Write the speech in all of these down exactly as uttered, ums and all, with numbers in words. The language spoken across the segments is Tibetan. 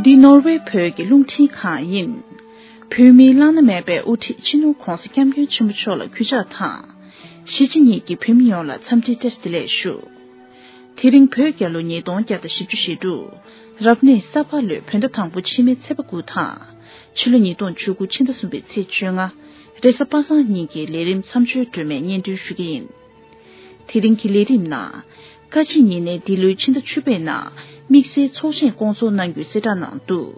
འདི་ནོར་ཝེ་བོད་ཀྱི་རླུང་འཕྲིན་ཁང་ཡིན། བོད་མིའི་བླ་ན་མེད་པའི་དབུ་ཁྲིད་སྤྱི་ནོར་༧གོང་ས་༧སྐྱབས་མགོན་ཆེན་པོ་མཆོག་ལ་གུས་ཕྱག་དང་། གཞིས་བྱེས་གཉིས་ཀྱི་བོད་མི་ཡོངས་ལ་འཚམས་འདྲིའི་བཀྲ་ཤིས་བདེ་ལེགས་ཞུ། དེ་རིང་བོད་རྒྱལ་ལོ་ཉིས་སྟོང་བརྒྱ་དང་བཞི་བཅུ་ཞེ་དྲུག་རབ་གནས་ས་ཕག་ལོའི་བོད་ཟླ་དང་པོ་ཕྱི་མའི་ཚེས་པ་དགུ་དང་། ཕྱི་ལོ་ཉིས་སྟོང་བཅུ་དགུ་ཕྱི་ཟླ་གསུམ་པའི་ཚེས་བཅོ་ལྔ། རེས་གཟའ་པ་སངས་ཉིན་གྱི་ལས་རིམ་མཚམས་སྦྱོར་སྒྲོན་མེ་སྙན་སྒྲོན་ཞུ་གི་ཡིན། དེ་རིང་གི་ལས་རིམ་ནང་། བཀའ་སྤྱི་གཉིས་ནས་འདི་ལོའི་ཕྱི་ཟླ་བཅུ་པའི་ནང་དམིགས་བསལ་ཚོགས་ཆེན་བསྐོང་ཚོགས་གནང་རྒྱུའི་གསལ་བསྒྲགས་གནང་འདུག་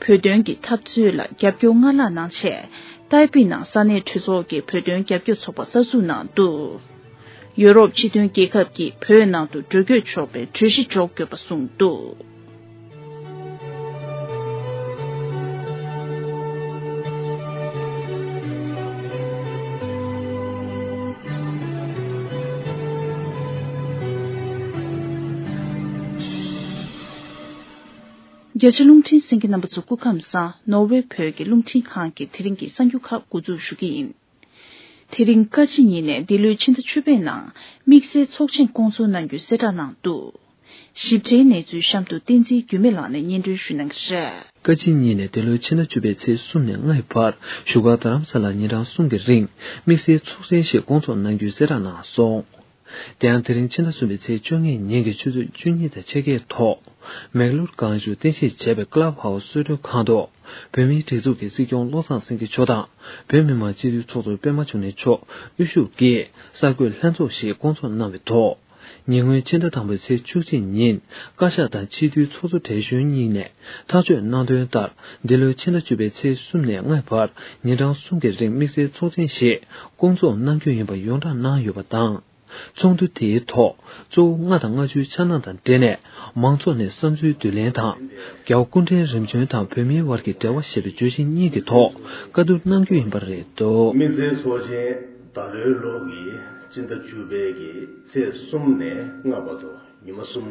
བོད་དོན་གྱི་འཐབ་རྩོད་ལ་རྒྱབ་སྐྱོར་སྔར་ལྷག་གནང་ཆེད། ཏའེ་པི་ནང་ས་གནས་གྲོས་ཚོགས་ཀྱི་བོད་དོན་རྒྱབ་སྐྱོར་ཚོགས་པ་གསར་འཛུགས་གནང་འདུག་ཡོ་རོབ་སྤྱི་མཐུན་རྒྱལ་ཁབ་ཀྱིས་བོད་ནང་དུ་འགྲོ་སྐྱོད་ཆོག་པའི་གྲོས་གཞི་འཇོག་དགོས་པ་གསུངས་འདུག་རྒྱ་ཆེ་རླུང་འཕྲིན་གསན་མཁན་རྣམ་པ་ཚོ་སྐུ་ཁམས་བཟང་། ནོར་ཝེ་བོད་ཀྱི་རླུང་འཕྲིན་ཁང་གི་དེ་རིང་གི་གསར་འགྱུར་ཁག་འགོ་འཛུགས་ཞུ་གི་ཡིན། དེ་རིང་བཀའ་སྤྱི་གཉིས་ནས་འདི་ལོའི་ཕྱི་ཟླ་བཅུ་པའི་ནང་དམིགས་བསལ་ཚོགས་ཆེན་བསྐོང་ཚོགས་གནང་རྒྱུའི་གསལ་བསྒྲགས་གནང་འདུག་ཞིབ་ཕྲའི་གནས་ཚུལ་གཤམ་དུ་བསྟན་འཛིན་འགྱུར་མེད་ལགས་ནས་སྙན་སྒྲོན་ཞུ་གནང་གི་རེད། བཀའ་སྤྱི་གཉིས་ནས་འདི་ལོའི་ཕྱི་ཟླ་བཅུ་པའི་ཚེས་གསུམ་ནས་ལྔའི་བར་བཞུགས་སྒར་རྡ་རམ་ས་ལར་ཉིན་གྲངས་གསུམ་གྱི་རིང་དམིགས་བསལ་ཚོགས་ཆེན་ཞིག་བསྐོང་ཚོགས་གནང་རྒྱུའི་གསལ་བསྒྲགས་གནང་སོང་། དེ་ཡང་དེ་རིང་ཕྱི་ཟླ་གསུམ་པའི་ཚེས་བཅོ་ལྔའི་ཉིན་གྱི་ཆུ་ཚོད་བཅུ་གཉིས་དང་ཕྱེད་ཀའི་ཐོག་མེག་ལོར་གངས་ལྗོངས་རྟེན་གཞི་བྱས་པའི་ཀླབ་ཧའུ་སི་གསོལ་མགྲོན་ཁང་དུ་བོད་མིའི་སྒྲིག་འཛུགས་ཀྱི་སྲིད་སྐྱོང་བློ་བཟང་སེང་གེ་མཆོག་དང་བོད་མི་མང་སྤྱི་འཐུས་ཚོགས་གཙོ་པད་མ་འབྱུང་གནས་མཆོག་དབུ་བཞུགས་ཀྱིས་གསར་འགོད་ལྷན་ཚོགས་ཤིག་བསྐོང་ཚོགས་གནང་བའི་ཐོག་ཉེ་སྔོན་ཕྱི་ཟླ་དང་པོའི་ཚེས་བཅུ་གཅིག་ཉིན་བཀའ་ཤག་དང་སྤྱི་འཐུས་ཚོགས་གཙོ་བགྲེས་གཞོན་གཉིས་ནས་ཐག་གཅོད་གནང་དོན་ལྟར་འདི་ལོའི་ཕྱི་ཟླ་བཅུ་པའི་ཚེས་གསུམ་ནས་ལྔའི་བར་ཉིན་གྲངས་གསུམ་གྱི་རིང་དམིགས་བསལ་ཚོགས་ཆེན་ཞིག་བསྐོང་ཚོགས་གནང་རྒྱུ་ཡིན་པ་ཡོངས་གྲགས་གནང་ཡོད་པ་དང་། ཚོགས་འདུ་དེའི་ཐོག་གཙོ་བོ་ལྔ་དང་ལྔ་བཅུའི་འཆར་སྣང་དང་འབྲེལ་ནས་མང་ཚོགས་ནས་བསམ་ཚུལ་བསྡུ་ལེན་དང་། རྒྱལ་བ་སྐུ་ཕྲེང་རིམ་བྱོན་དང་བོད་མིའི་དབར་གྱི་འབྲེལ་བ་ཞེས་པའི་བརྗོད་གཞི་གཉིས་ཀྱི་ཐོག་བཀའ་བསྡུར་གནང་རྒྱུ་ཡིན་པ་རེད་འདུག་དམིགས་བསལ་ཚོགས་ཆེན་ད་ལོའི་ལོ་གི་སྤྱི་ཟླ་བཅུ་པའི་གི་ཚེས་གསུམ་ནས་ལྔ་བར་དུ་ཉི་མ་གསུམ་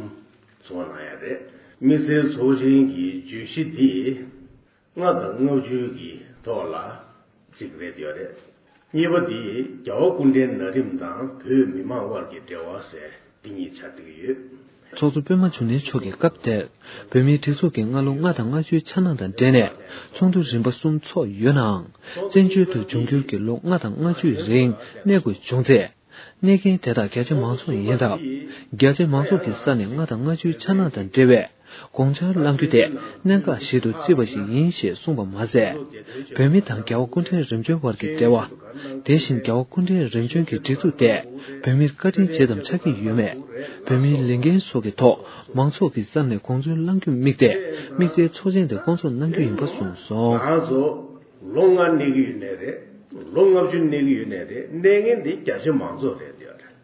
ཚོགས་གནང་ཡ་རེད། དམིགས་བསལ་ཚོགས་ཆེན་གྱི་བརྗོད་གཞི་འདི། ལྔ་དང་ལྔ་བཅུ་གི་ཐོག་ལ་གཅིག་རེད་ཡོད་རེད། གཉིས་པ་འདི་རྒྱལ་བ་སྐུ་ཕྲེང་ན་རིམ་དང་བོད་མི་མང་དབར་གྱི་འབྲེལ་བ་ཟེར་འདི་གཉིས་ཆགས་བསྡད་ཀྱི་ཡོད། ཚོགས་གཙོ་པད་མ་འབྱུང་གནས་མཆོག་གིས་སྐབས་དེར་བོད་མིའི་སྒྲིག་འཛུགས་ཀྱི་སྔ་ལོ་ལྔ་དང་ལྔ་བཅུའི་འཆར་སྣང་དང་འབྲེལ་ནས་ཚོགས་འདུ་རིམ་པ་གསུམ་ཚོགས་ཡོད་ནའང་། བཙན་བྱོལ་དུ་འབྱུང་འགྱུར་གྱི་ལོ་ལྔ་དང་ལྔ་བཅུའི་རིང་གནས་དགོས་བྱུང་ཚེ། གནས་མཁན་དེ་དག་རྒྱ་ཆེ་མང་ཚོགས་ཡིན་སྟབས། རྒྱ་ཆེ་མང་ཚོགས་ཀྱི་ས་ནས་ལྔ་དང་ལྔ་བཅུའི་འཆར་སྣང་དང་འབྲེལ་བའི་དགོངས་འཆར་བླང་རྒྱུ་དེ་གནད་འགག་ཞིག་ཏུ་བརྩིས་པ་ཞིག་ཡིན་ཞེས་གསུངས་པ་མ་ཟད། བོད་མི་དང་རྒྱལ་བ་སྐུ་ཕྲེང་རིམ་བྱོན་བར་གྱི་འབྲེལ་བ། དེ་བཞིན་རྒྱལ་བ་སྐུ་ཕྲེང་རིམ་བྱོན་གྱི་སྒྲིག་འཛུགས་དེ་བོད་མིར་བཀའ་དྲིན་ཇི་ཙམ་ཆགས་ཀྱི་ཡོད་མེད། བོད་མིའི་ལས་འགན་སོགས་ཀྱི་ཐོག་མང་ཚོགས་ཀྱི་ས་ནས་དགོངས་ཚུལ་བླང་རྒྱུ་དམིགས་ཏེ་དམིགས་བསལ་ཚོགས་ཆེན་དེ་བསྐོང་ཚོགས་གནང་རྒྱུ་ཡིན་པ་གསུངས་སོང་། ང་ཚོ་ལོ་ལྔ་གནས་ཀྱི་ཡོད་ནའི་རེད། ལོ་ལྔ་བཅུ་གནས་ཀྱི་ཡོད་ནའི་རེད། གནས་མཁན་དེ་རྒྱ་ཆེ་མང་ཚོགས་རེད་ཟེར་ཡོད་རེད།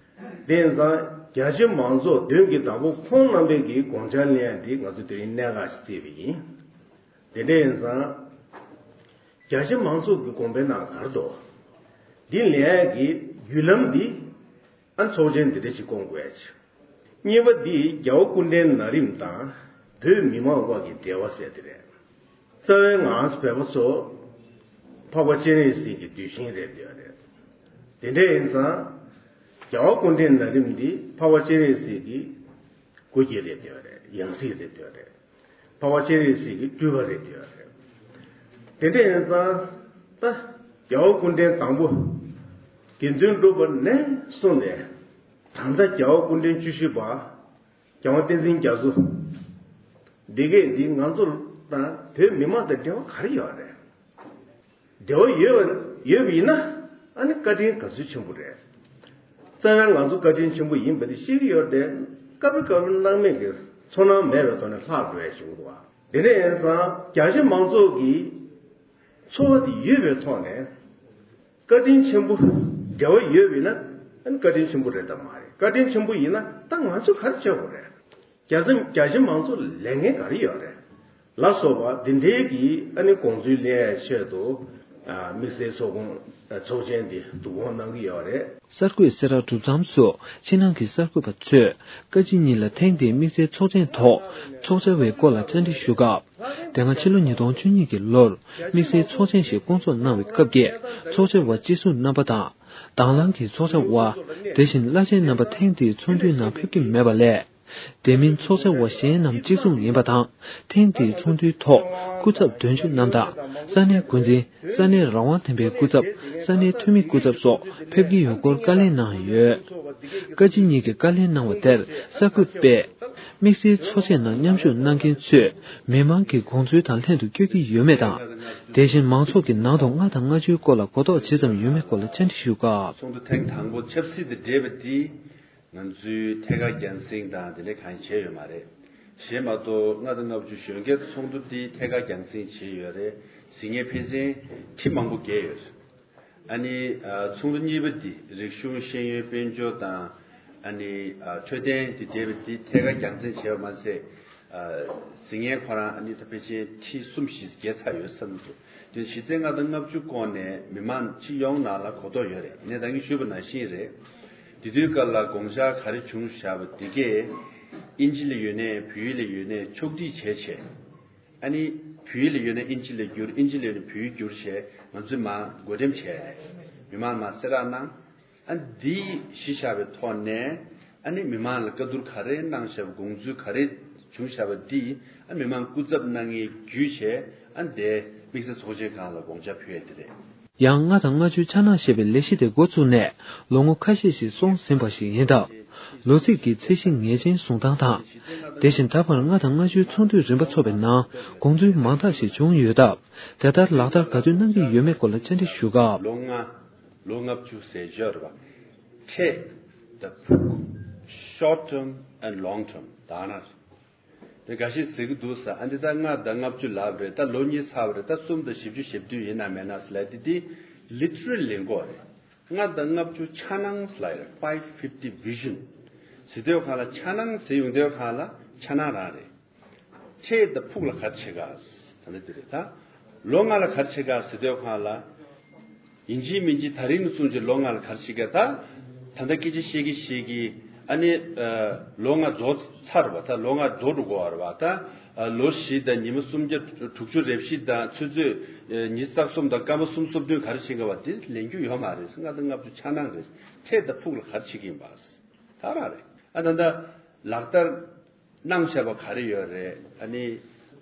དེ་ཡིན་ཙང་རྒྱ་ཆེ་མང་ཚོགས་མདུན་གྱི་བདག་པོ་ཁོང་རྣམ་པས་ཀྱི་དགོངས་འཆར་ལེན་ཡ་འདི་ང་ཚོ་དེ་རིང་གནད་འགག་ཞིག་བརྩིས་པ་ཡིན། དེ་འདྲ་ཡིན་ཙང་རྒྱ་ཆེ་མང་ཚོགས་ཀྱི་དགོངས་པའི་ནང་ག་རེ་འདུག་འདི་ལེན་ཡ་གི་བརྒྱུད་ལམ་འདི་ཨ་ཚོགས་ཆེན་འདི་འདྲ་ཞིག་བསྐོང་དགོས་ཡ་ཆེ། གཉིས་པ་འདི་རྒྱལ་བ་སྐུ་ཕྲེང་ན་རིམ་དང་བོད་མི་མང་དབར་གྱི་འབྲེལ་བ་ཟེར་དེ་རེད། རྩ་བའི་ངང་བོད་པ་ཚོ་འཕགས་པ་སྤྱན་རས་གཟིགས་ཀྱི་གདུལ་ཞིང་རེད་འདོད་རེད། དེ་འདྲ་ཡིན་ཙང་རྒྱལ་བ་སྐུ་ཕྲེང་ན་རིམ་འདི་འཕགས་པ་སྤྱན་རས་གཟིགས་ཀྱི་སྐུ་སྐྱེ་རེད་འདོད་རེད། ཡང་སྲིད་རེད་འདོད་རེད། འཕགས་པ་སྤྱན་རས་གཟིགས་ཀྱི་སྤྲུལ་པ་རེད་འདོད་རེད། དེ་འདྲ་ཡིན་ཙང་ད་རྒྱལ་བ་སྐུ་ཕྲེང་དང་པོ་དགེ་འདུན་གྲུབ་པ་ནས་བཟུང་ནས་ད་ལྟ་རྒྱལ་བ་སྐུ་ཕྲེང་བཅུ་བཞི་པ། རྒྱལ་དབང་བསྟན་འཛིན་རྒྱ་མཚོ། འདི་གས་འདི་ང་ཚོ་དང་བོད་མི་མང་དང་འབྲེལ་བ་ག་རེ་ཡོད་རེད། འབྲེལ་བ་ཡོད་པ་ཡོད་པ་ཡིན་ན་ཨ་ནི་བཀའ་དྲིན་ག་ཚོད་ཆེན་པོ་རེད། རྩ་བའི་ང་ཚོ་བཀའ་དྲིན་ཆེན་པོ་ཡིན་པ་དེ་ཤེས་ཀྱི་ཡོད་རེད་དེ། སྐབས་རེ་སྐབས་རེ་སྣང་མེད་ཀྱི་ཚོར་སྣང་མེད་པའི་ཐོག་ནས་ལྷག་འགྲོ་ཡ་ཞིག་འདུག་བ། དེ་འདྲ་ཡིན་ཙང་རྒྱ་ཆེ་མང་ཚོགས་ཀྱི་ཚོར་བ་དེ་ཡོད་པའི་ཐོག་ནས། བཀའ་དྲིན་ཆེན་པོ་འབྲེལ་བ་ཡོད་པ་ཡིན་ན་ཨ་ནི་བཀའ་དྲིན་ཆེན་པོ་རེད་དམ་མ་རེད། བཀའ་དྲིན་ཆེན་པོ་ཡིན་ན་ད་ང་ཚོས་ག་རེ་བྱེད་དགོས་རེད། རྒྱ་ཆེ་རྒྱ་ཆེ་མང་ཚོགས་ལས་འགན་ག་རེ་ཡོད་རེད་ལ་སོགས་པ་འདི་འདྲའི་གི་ཨ་ནི་དགོངས་ཚུལ་གླེང་ཡའི་ཆེད་དུ་ཨ་དམིགས་བསལ་ཚོགས་ཁོངས་ཚོགས་ཆེན་འདི་བསྡུ་སྐོང་གནང་གི་ཡོད་རེད། གསར་འགོད་གསལ་བསྒྲགས་གྲུབ་མཚམས་སུ་ཕྱི་ནང་གི་གསར་འགོད་པ་ཚོས་བཀའ་སྤྱི་གཉིས་ལ་ཐེངས་འདིའི་དམིགས་བསལ་ཚོགས་ཆེན་ཐོག་ཚོགས་བཅར་བའི་སྐོར་ལ་བཅར་འདྲི་ཞུ་སྐབས། དེ་སྔ་ཕྱི་ལོ་ཉིས་སྟོང་བཅུ་གཉིས་ཀྱི་ལོར་དམིགས་བསལ་ཚོགས་ཆེན་ཞིག་བསྐོང་ཚོགས་གནང་བའི་སྐབས་ཀྱི་ཚོགས་བཅར་བ་སྤྱི་ཟུར་རྣམ་པ་དང་། དང་བླངས་ཀྱི་ཚོགས་བཅར་བ། དེ་བཞིན་བླ་ཆེན་རྣམ་པ་ཐེངས་འདིའི་ཚོགས་འདུའི་ནང་ཕེབས་ཀྱི་མེད་པ་ལས། དེ་མིན་ཚོགས་བཅར་བ་གཞན་རྣམས་གཅིག་མཚུངས་ཡིན་པ་དང་། ཐེངས་འདིའི་ཚོགས་འདུའི་ཐོག་སྐུ་ཚབ་དོན་གཅོད་རྣམས་དང་། ས་གནས་འགོ་འཛིན། ས་གནས་རང་དབང་ལྡན་པའི་སྐུ་ཚབ། ས་གནས་འཐུས་མི་སྐུ་ཚབ་སོགས་ཕེབས་ཀྱི་ཡོད་སྐོར་བཀའ་ལན་གནང་ཡོད། བཀའ་སྤྱི་གཉིས་ཀྱིས་བཀའ་ལན་གནང་བ་དེར་གསར་འགོད་པས། དམིགས་བསལ་ཚོགས་ཆེན་ནང་མཉམ་ཞུགས་གནང་མཁན་ཚོས་མི་མང་གི་དགོངས་ཚུལ་དང་ལྷན་དུ་བསྐྱོད་ཀྱི་ཡོད་མེད་དང་། དེ་བཞིན་མང་ཚོགས་ཀྱི་ནང་དུ་ལྔ་དང་ལྔ་བཅུའི་སྐོར་ལ་གོ་རྟོགས་ཇི་ཙམ་ཡོད་མེད་སྐོར་ལ་བཅར་འདྲི་ཞུས་སྐབས། ཚོགས་འདུ་ཐེངས་དང་པོ་ཆབ་སྲིད་དང་འབྲེལ་བ་དེ། ང་ཚོའི་ཐད་ཀར་རྒྱང་སྲིང་དང་དེ་འདྲ་གང་ཡང་བྱས་ཡོད་མ་རེད། གཞན་མ་གཏོགས་ལྔ་དང་ལྔ་བཅུ་གཞོན་སྐྱེས་ཚོགས་འདུ་དེ་ཐད་ཀར་རྒྱང་སྲིང་བྱས་ཡོད་རེད། གཟིགས་མཁན་ཕལ་ཆེར་ཁྲི་མང་པོ་བརྒལ་ཡོད་རེད། ཨ་ནི་ཚོགས་འདུ་གཉིས་པ་འདི་རིག་གཞུང་ཤེས་ཡོན་དཔལ་འབྱོར་དང་ཨ་ནི་འཕྲོད་བསྟེན་དེ་འབྲེལ་བ་འདི་ཐད་ཀར་རྒྱང་སྲིང་བྱས་པ་མ་ཟད། གཟིགས་མཁན་ཁོ་རང་ཨ་ནི་ད་ཕལ་ཆེར་ཁྲི་གསུམ་བཞི་བརྒལ་ཚར་ཡོད་བསམ་གྱི་འདུག་དེ་གཞི་རྩའི་ལྔ་དང་ལྔ་བཅུ་སྐོར་ནས་མི་མང་སྤྱི་ཡོངས་ནང་ལ་གོ་རྟོགས་ཡོད་རེད། ངས་ད་གིན་ཞུས་པ་ནང་བཞིན་རེད། དེ་དུས་སྐབས་ལ་དགོངས་འཆར་ག་རེ་བྱུང་བཞག་པ་དེ་གས་ཨིན་ཇི་ལ་ཡོད་ནས་བོད་ཡིག་ལ་ཡོད་ནས་ཕྱོགས་སྒྲིག་བྱས་བྱས། ཨ་ནི་བོད་ཡིག་ལ་ཡོད་ནས་ཨིན་ཇི་ལ་བསྒྱུར། ཨིན་ཇི་ལ་ཡོད་ནས་བོད་ཡིག་བསྒྱུར་བྱས་ང་ཚོས་མར་བགོ་འགྲེམས་བྱས་རེད། མི་མང་མར་གསལ་བསྒྲགས་གནང་། ཨ་འདི་གཞི་བཞག་པའི་ཐོག་ནས་ཨ་ནི་མི་མང་ལ་བཀའ་བསྡུར་ག་རེ་གནང་བཞག་པ། དགོངས་ཚུལ་ག་རེ་བྱུང་བཞག་པ་འདི་ཨ་མི་མང་སྐུ་ཚབ་གནང་མཁན་བརྒྱུད་བྱས་ཨ་འདི་དམིགས་བསལ་ཚོགས་ཆེན་སྒང་ལ་དགོངས་འཆར་ཕུལ་ཡ་དེ་རེད། ཡང་ལྔ་དང་ལྔ་བཅུའི་འཆར་སྣང་ཞེས་པའི་ལས་གཞི་དེ་འགོ་བཙུགས་ནས་ལོ་ངོ་ཁ་ཤས་ཤིག་སོང་ཟིན་པ་ཞིག་ཡིན་སྟབས། ལོ་ཚིགས་ཀྱི་ཚད་གཞི་ངེས་ཅན་བཟུང་སྟངས་དང་། དེ་བཞིན་ད་བར་ལྔ་དང་ལྔ་བཅུའི་ཚོགས་འདུའི་རིམ་པ་ཚོགས་པའི་ནང་དགོངས་ཚུལ་མང་དག་ཞིག་བྱུང་ཡོད་སྟབས། དེ་ལྟར་ལག་བསྟར་ག་དུས་གནང་གི་ཡོད་མེད་སྐོར་ལ་བཅར་འདྲི་ཞུ་སྐབས། ལོ་ལྔ། ལོ་ལྔ་བཅུ་ཟེར་ཡོད་རེད་པ། འཕྲལ་དང་ཕུགས། short term and long term ད་ན། དེ་འགའ་ཞིག་ཟེར་གྱི་འདུག་ས། ཨ་འདི་ད་ལྔ་དང་ལྔ་བཅུ་ལབ་རེད། ད་ལོ་གཉིས་ཚར་བ་རེད། ད་གསུམ་དང་བཞི་བཅུ་ཞེ་བདུན་ཡིན་ན་མེད་ན་ཟེར་ལབ་དེ། དེ་literally ལེན་གོ་རེད། ལྔ་དང་ལྔ་བཅུ་འཆར་སྣང་ཟེར་ལབ་རེད། five fifty vision ཟེར་དུས་སྒང་ལ་འཆར་སྣང་ཟེར་ཡོང་དུས་སྒང་ལ་འཆར་སྣང་རང་རེད། འཕྲལ་དང་ཕུགས་ལ་ག་རེ་བྱེད་ག་ད་ལྟ་འདི་རེད་ད། ལོ་ལྔ་ལ་ག་རེ་བྱེད་ག་ཟེར་དུས་སྒང་ལ། ཡིན་གཅིག་མིན་གཅིག་ད་རིང་ནས་བཟུང་བྱས་ལོ་ལྔ་ལ་ག་རེ་བྱེད་ག་ད། ད་ལྟ་སྐད་ཆ་བཤད་ཀྱི་བཤད་ཀྱི་ཨ་ནི། ལོ་ལྔ་རྫོགས་ཚར་བ་ད། ལོ་ལྔ་རྫོགས་འགྲོ་གོ་བ་རེད་བ་ད། ལོ་བཞི་དང་ཉི་མ་སུམ་བརྒྱ་དྲུག་ཅུ་རེ་བཞི་དང་ཆུ་ཚོད་ཉི་ཤུ་རྩ་གསུམ་དང་སྐར་མ་སུམ་ཅུ་སོ་བདུན་ག་རེ་བྱེད་ག་བ་དེ་ལེན་རྒྱུ་ཡོད་མ་རེད། ལྔ་དང་ལྔ་བཅུ་འཆར་སྣང་རེད། འཕྲལ་དང་ཕུགས་ལ་ག་རེ་བྱེད་ཀྱི་ཡིན་པ། ད་རང་རེད། ཨ་ད་ལྟ་ལག་བསྟར་གནང་བཞག་པ་ག་རེ་ཡོད་རེད། ཨ་ནི་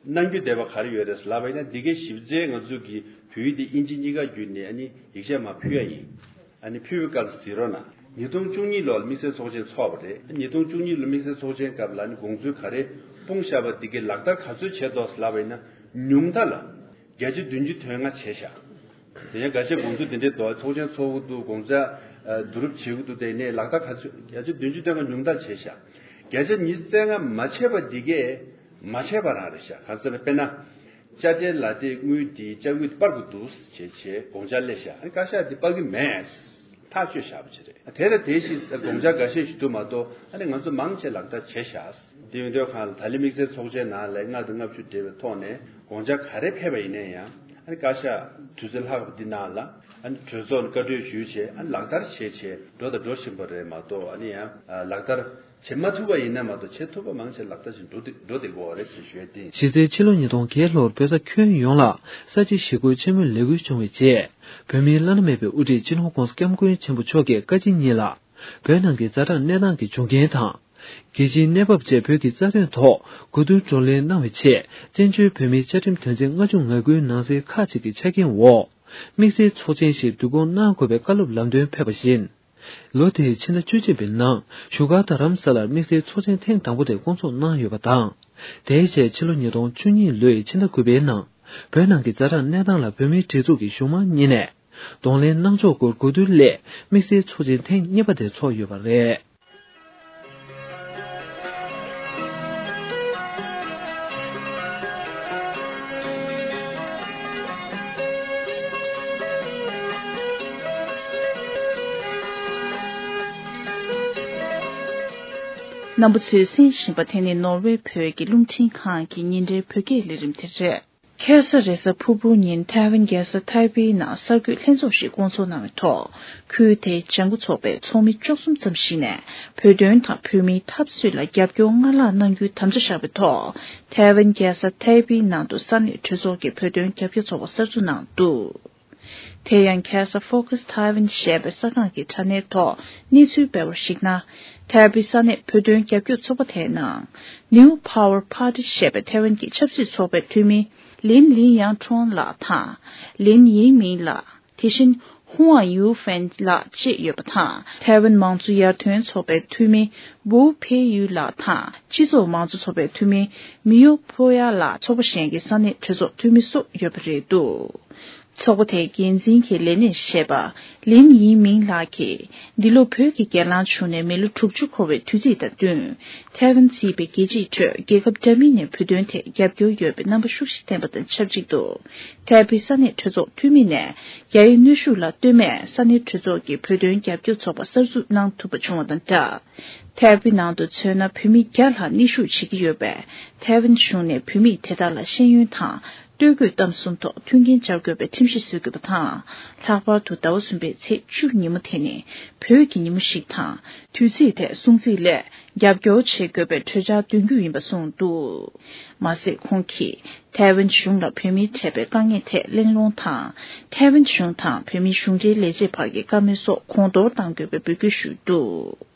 གནང་རྒྱུ་བསྡད་པ་ག་རེ་ཡོད་རེད་ལབ་པ་ཡིན་ན། འདི་གའི་ཞིབ་ཚད་ང་ཚོ་གི་བོད་ཡིག་འདི་དབྱིན་ཇི་གཉིས་ཀ་བརྒྱུད་ནས་ཨ་ནི་ཡིག་ཆ་མར་ཕུལ་ཡ་ཡིན། ཨ་ནི་ཕུལ་བའི་སྐབས་ལ་གཟིགས་རོགས་གནང་། ཉིས་སྟོང་བཅུ་གཉིས་ལོར་དམིགས་བསལ་ཚོགས་ཆེན་ཚོགས་པ་རེད། ཉིས་སྟོང་བཅུ་གཉིས་ལོ་དམིགས་བསལ་ཚོགས་ཆེན་སྐབས་ལ་ཨ་ནི་དགོངས་ཚུལ་ག་རེ་སྤུངས་བཞག་པ་འདི་གའི་ལག་བསྟར་ག་ཚོད་བྱས་འདུག་ལབ་པ་ཡིན་ན། ཉུང་མཐའ་ལ་བརྒྱ་ཆ་བདུན་ཅུ་དོན་ལྔ་བྱས་བཞག་དེ་ཡང་འགའ་ཤས་དགོངས་ཚུལ་འདི་འདྲའི་འདུག་ཚོགས་ཆེན་ཚོགས་ཀྱི་འདུག་དགོངས་འཆར་བསྡུ་རུབ་བྱེད་ཀྱི་འདུག་དེ་ནས་ལག་བསྟར་ག་ཚོད་བརྒྱ་ཆ་བདུན་ཅུ་དོན་ལྔ་ཉུང་མཐར་བྱས་བཞག་བརྒྱ་ཆ་ཉི་ཤུ་རྩ་ལྔ་མ་བྱས་པ་འདི་གས་མ་བྱས་པ་རང་རེད་བཞག་གང་ཟེར་ན་དཔེར་ན། དཔྱ་ཁྲལ་ལག་དེབ་དངུལ་འདི་དཔྱ་དངུལ་འདི་སྤར་དགོས་འདུག་བྱས་བྱས་དགོངས་འཆར་སླེབས་བཞག་ཨ་ནི་བཀའ་ཤག་འདི་སྤར་གི་མེད། ཐག་གཅོད་བཞག་པ་ཅིག་རེད། དེ་ལ་དེ་བཞིན་དགོངས་འཆར་འགའ་ཤས་ཤིག་འདུག་མ་གཏོགས་ཨ་ནི་ང་ཚོ་མང་ཆེ་ལག་བསྟར་བྱས་བཞག་དེ་ཡིན་དུས་སྒང་ལ་ད་ལན་དམིགས་བསལ་ཚོགས་ཆེན་ནང་ལ་ལྔ་དང་ལྔ་བཅུ་འབྲེལ་བའི་ཐོག་ནས་དགོངས་འཆར་ག་རེ་ཕེབས་པ་ཡིན་ན་ཡང་ཨ་ནི་བཀའ་ཤག་དུས་ཚོད་ལྷག་པ་འདི་ནང་ལ་ཨ་ནི་གྲོས་ཚོགས་ནས་བཀའ་འཁྲོལ་ཞུས་བྱས་ཨ་ནི་ལག་བསྟར་བྱས་བྱས་འགྲོ་དང་འགྲོ་བཞིན་པ་རེད་མ་གཏོགས། ཨ་ནི་ཡང་ལག་བསྟར་བྱེད་མ་ཐུབ་པ་ཡིན་ན་མ་གཏོགས་བྱེད་ཐུབ་པ་མང་ཆེ་ལག་བསྟར་བྱས་འགྲོ་བསྡད་འགྲོ་བསྡད་ཀྱི་ཡོད་རེད་ཅེས་ཞུ་ཡ་དེ་ཡིན། གཞི་རྩའི་ཕྱི་ལོ་ཉིས་སྟོང་བརྒྱད་ལོར་བོད་ས་ཁྱོན་ཡོངས་ལ་ས་བྱི་ཞི་རྒོལ་ཆེན་མོའི་ལས་འགུལ་བྱུང་བའི་རྗེས། བོད་མིའི་བླ་ན་མེད་པའི་དབུ་ཁྲིད་སྤྱི་ནོར་༸གོང་ས་༸སྐྱབས་མགོན་ཆེན་པོ་མཆོག་གིས་བཀའ་སྤྱི་གཉིས་ལ། བོད་ནང་གི་ཛ་དྲག་གནས་སྟངས་ཀྱི་འབྱུང་རྐྱེན་དང་། རྒྱལ་སྤྱིའི་གནས་བབ་བཅས་བོད་ཀྱི་རྩ་དོན་ཐོག་གོ་བསྡུར་བགྲོ་གླེང་གནང་བའི་ཆེད། བཙན་བྱོལ་བོད་མིའི་བཅའ་ཁྲིམས་དོན་ཚན་ལྔ་བཅུ་ང་དགུའི་ནང་གསེས་ཁག་ཅིག་གི་ཆ་རྐྱེན་འོག་དམིགས་བསལ་ཚོགས་ཆེན་ཞིག་བསྡུ་སྐོང་གནང་དགོས་པའི་བཀའ་སློབ་ལམ་སྟོན་ཕེབས་པ་བཞིན། ལོ་དེའི་ཕྱི་ཟླ་བཅུ་གཅིག་པའི་ནང་བཞུགས་སྒར་རྡ་རམ་ས་ལར་དམིགས་བསལ་ཚོགས་ཆེན་ཐེངས་དང་པོ་དེ་བསྐོང་ཚོགས་གནང་ཡོད་པ་དང་། དེའི་རྗེས་ཕྱི་ལོ་ཉིས་སྟོང་བཅུ་གཉིས་ལོའི་ཕྱི་ཟླ་དགུ་པའི་ནང་བོད་ནང་གི་ཛ་དྲག་གནས་སྟངས་ལ་བོད་མིའི་སྒྲིག་འཛུགས་ཀྱི་གཞུང་མང་གཉིས་ནས་གདོང་ལེན་གནང་ཕྱོགས་སྐོར་གོ་བསྡུར་སླད་དམིགས་བསལ་ཚོགས་ཆེན་ཐེངས་གཉིས་པ་དེ་ཚོགས་ཡོད་པ་རེད། རྣམ་པ་ཚོས་གསན་བཞིན་པ་དེ་ནི་ནོར་ཝེ་བོད་ཀྱི་རླུང་འཕྲིན་ཁང་གི་ཉིན་རེའི་བོད་སྐད་ལས་རིམ་དེ་རེད། ཁ་སང་རེས་གཟའ་ཕུར་བུ་ཉིན་ཐའེ་ཝན་རྒྱལ་ས་ཐའེ་པེའི་ནང་གསར་འགོད་ལྷན་ཚོགས་ཤིག་བསྐོང་ཚོགས་གནང་བའི་ཐོག་ཁུལ་དེའི་ལྗང་ཁུ་ཚོགས་པའི་ཚོགས་མི་བཅུ་གསུམ་ཙམ་ཞིག་ནས་བོད་དོན་དང་བོད་མིའི་འཐབ་རྩོད་ལ་རྒྱབ་སྐྱོར་སྔར་ལྷག་གནང་རྒྱུའི་དམ་བཅའ་བཞག་པའི་ཐོག་ཐའེ་ཝན་རྒྱལ་ས་ཐའེ་པེའི་ནང་དུ་ས་གནས་གྲོས་ཚོགས་ཀྱི་བོད་དོན་རྒྱབ་སྐྱོར་ཚོགས་པ་གསར་འཛུགས་གནང་འདུག་དེ་ཡང་ཁ་ས་Focus Taiwan ཞེས་པའི་གསར་ཁང་གི་དྲ་གནས་ཐོག་གནས་ཚུལ་སྤེལ་བར་གཞིགས་ན། ཐའེ་པེ་ས་གནས་བོད་དོན་རྒྱབ་སྐྱོར་ཚོགས་པ་དེའི་ནང་New Power Party ཞེས་པའི་ཐའེ་ཝན་གྱི་ཆབ་སྲིད་ཚོགས་པའི་འཐུས་མི་ལིན་ལིན་ཡང་ཁྲོན་ལགས་དང་། ལིན་ཡིན་མིན་ལགས། དེ་བཞིན་ཧུའང་ཡུའུ་ཧྥན་ལགས་བཅས་ཡོད་པ་དང་། ཐའེ་ཝན་མང་གཙོ་ཡར་ཐོན་ཚོགས་པའི་འཐུས་མི་ཝུའུ་ཕེ་ཡུའུ་ལགས་དང་། སྤྱི་ཚོགས་མང་གཙོ་ཚོགས་པའི་འཐུས་མི་མི་ཡོ་ཕོ་ཡ་ལགས། ཚོགས་པ་གཞན་གྱི་ས་གནས་གྲོས་ཚོགས་འཐུས་མི་སོགས་ཡོད་པ་རེད་འདུག་ཚོགས་པ་དེའི་འགན་འཛིན་གྱི་ལས་སྣེར་བཞེས་པ་ལིན་ཡིན་མིང་ལགས་ཀྱིས། འདི་ལོ་བོད་ཀྱི་སྒེར་ལངས་བྱུང་ནས་མི་ལོ་དྲུག་ཅུ་འཁོར་བའི་དུས་ཚིགས་དང་བསྟུན། ཐའེ་ཝན་གཙོས་པའི་རྒྱལ་སྤྱིའི་ཁྲོད་རྒྱལ་ཁབ་འདྲ་མིན་ནས་བོད་དོན་ཐད་རྒྱབ་སྐྱོར་ཡོད་པའི་རྣམ་པ་ཤུགས་ཆེ་བསྟན་པ་དང་ཆབས་ཅིག་ཏུ། ཐའེ་པེ་ས་གནས་གྲོས་ཚོགས་འཐུས་མི་ནས་རྒྱ་ཡིག་གནོན་ཤུགས་ལ་ལྟོས་མེད་ས་གནས་གྲོས་ཚོགས་ཀྱི་བོད་དོན་རྒྱབ་སྐྱོར་ཚོགས་པ་གསར་འཛུགས་གནང་ཐུབ་པ་བྱུང་བ་དང་སྦྲགས། ཐའེ་པེ་ནང་དུ་མཚོན་ན་བོད་མི་བརྒྱ་ལྷག་གནས་བཞུགས་བྱེད་ཀྱི་ཡོད་པས། ཐའེ་ཝན་གཞུང་ནས་བོད་མི་དེ་དག་ལ་ཤེས་ཡོན་དང་། ལྟོ་གོས་གཏམ་གསུམ་ཐོག་མཐུན་རྐྱེན་སྦྱར་དགོས་པའི་ཁྲིམས་གཞི་བཟོ་དགོས་པ་དང་། ལྷག་པར་དུ་ཟླ་བ་གསུམ་པའི་ཚེས་བཅུ་ཉིན་མོ་དེ་ནི་བོད་ཀྱི་ཉིན་མོ་ཞིག་དང་། དུས་ཚིགས་དེ་སྲུང་བརྩི་སླད་རྒྱབ་སྐྱོར་བྱེད་དགོས་པའི་གྲོས་འཆར་འདོན་རྒྱུ་ཡིན་པ་གསུངས་འདུག་མ་ཟད། ཁོང་གིས་ཐའེ་ཝན་གཞུང་ལ་བོད་མིར་འཕྲད་པའི་དཀའ་ངལ་ཐད་གླེང་སློང་དང་། ཐའེ་ཝན་གཞུང་དང་བོད་མིའི་གཞུང་འབྲེལ་ལས་བྱེད་བར་གྱི་བཀའ་མོལ་སོགས་གོང་མཐོར་གཏང་དགོས་པའི་འབོད་སྐུལ་ཞུས་འདུག་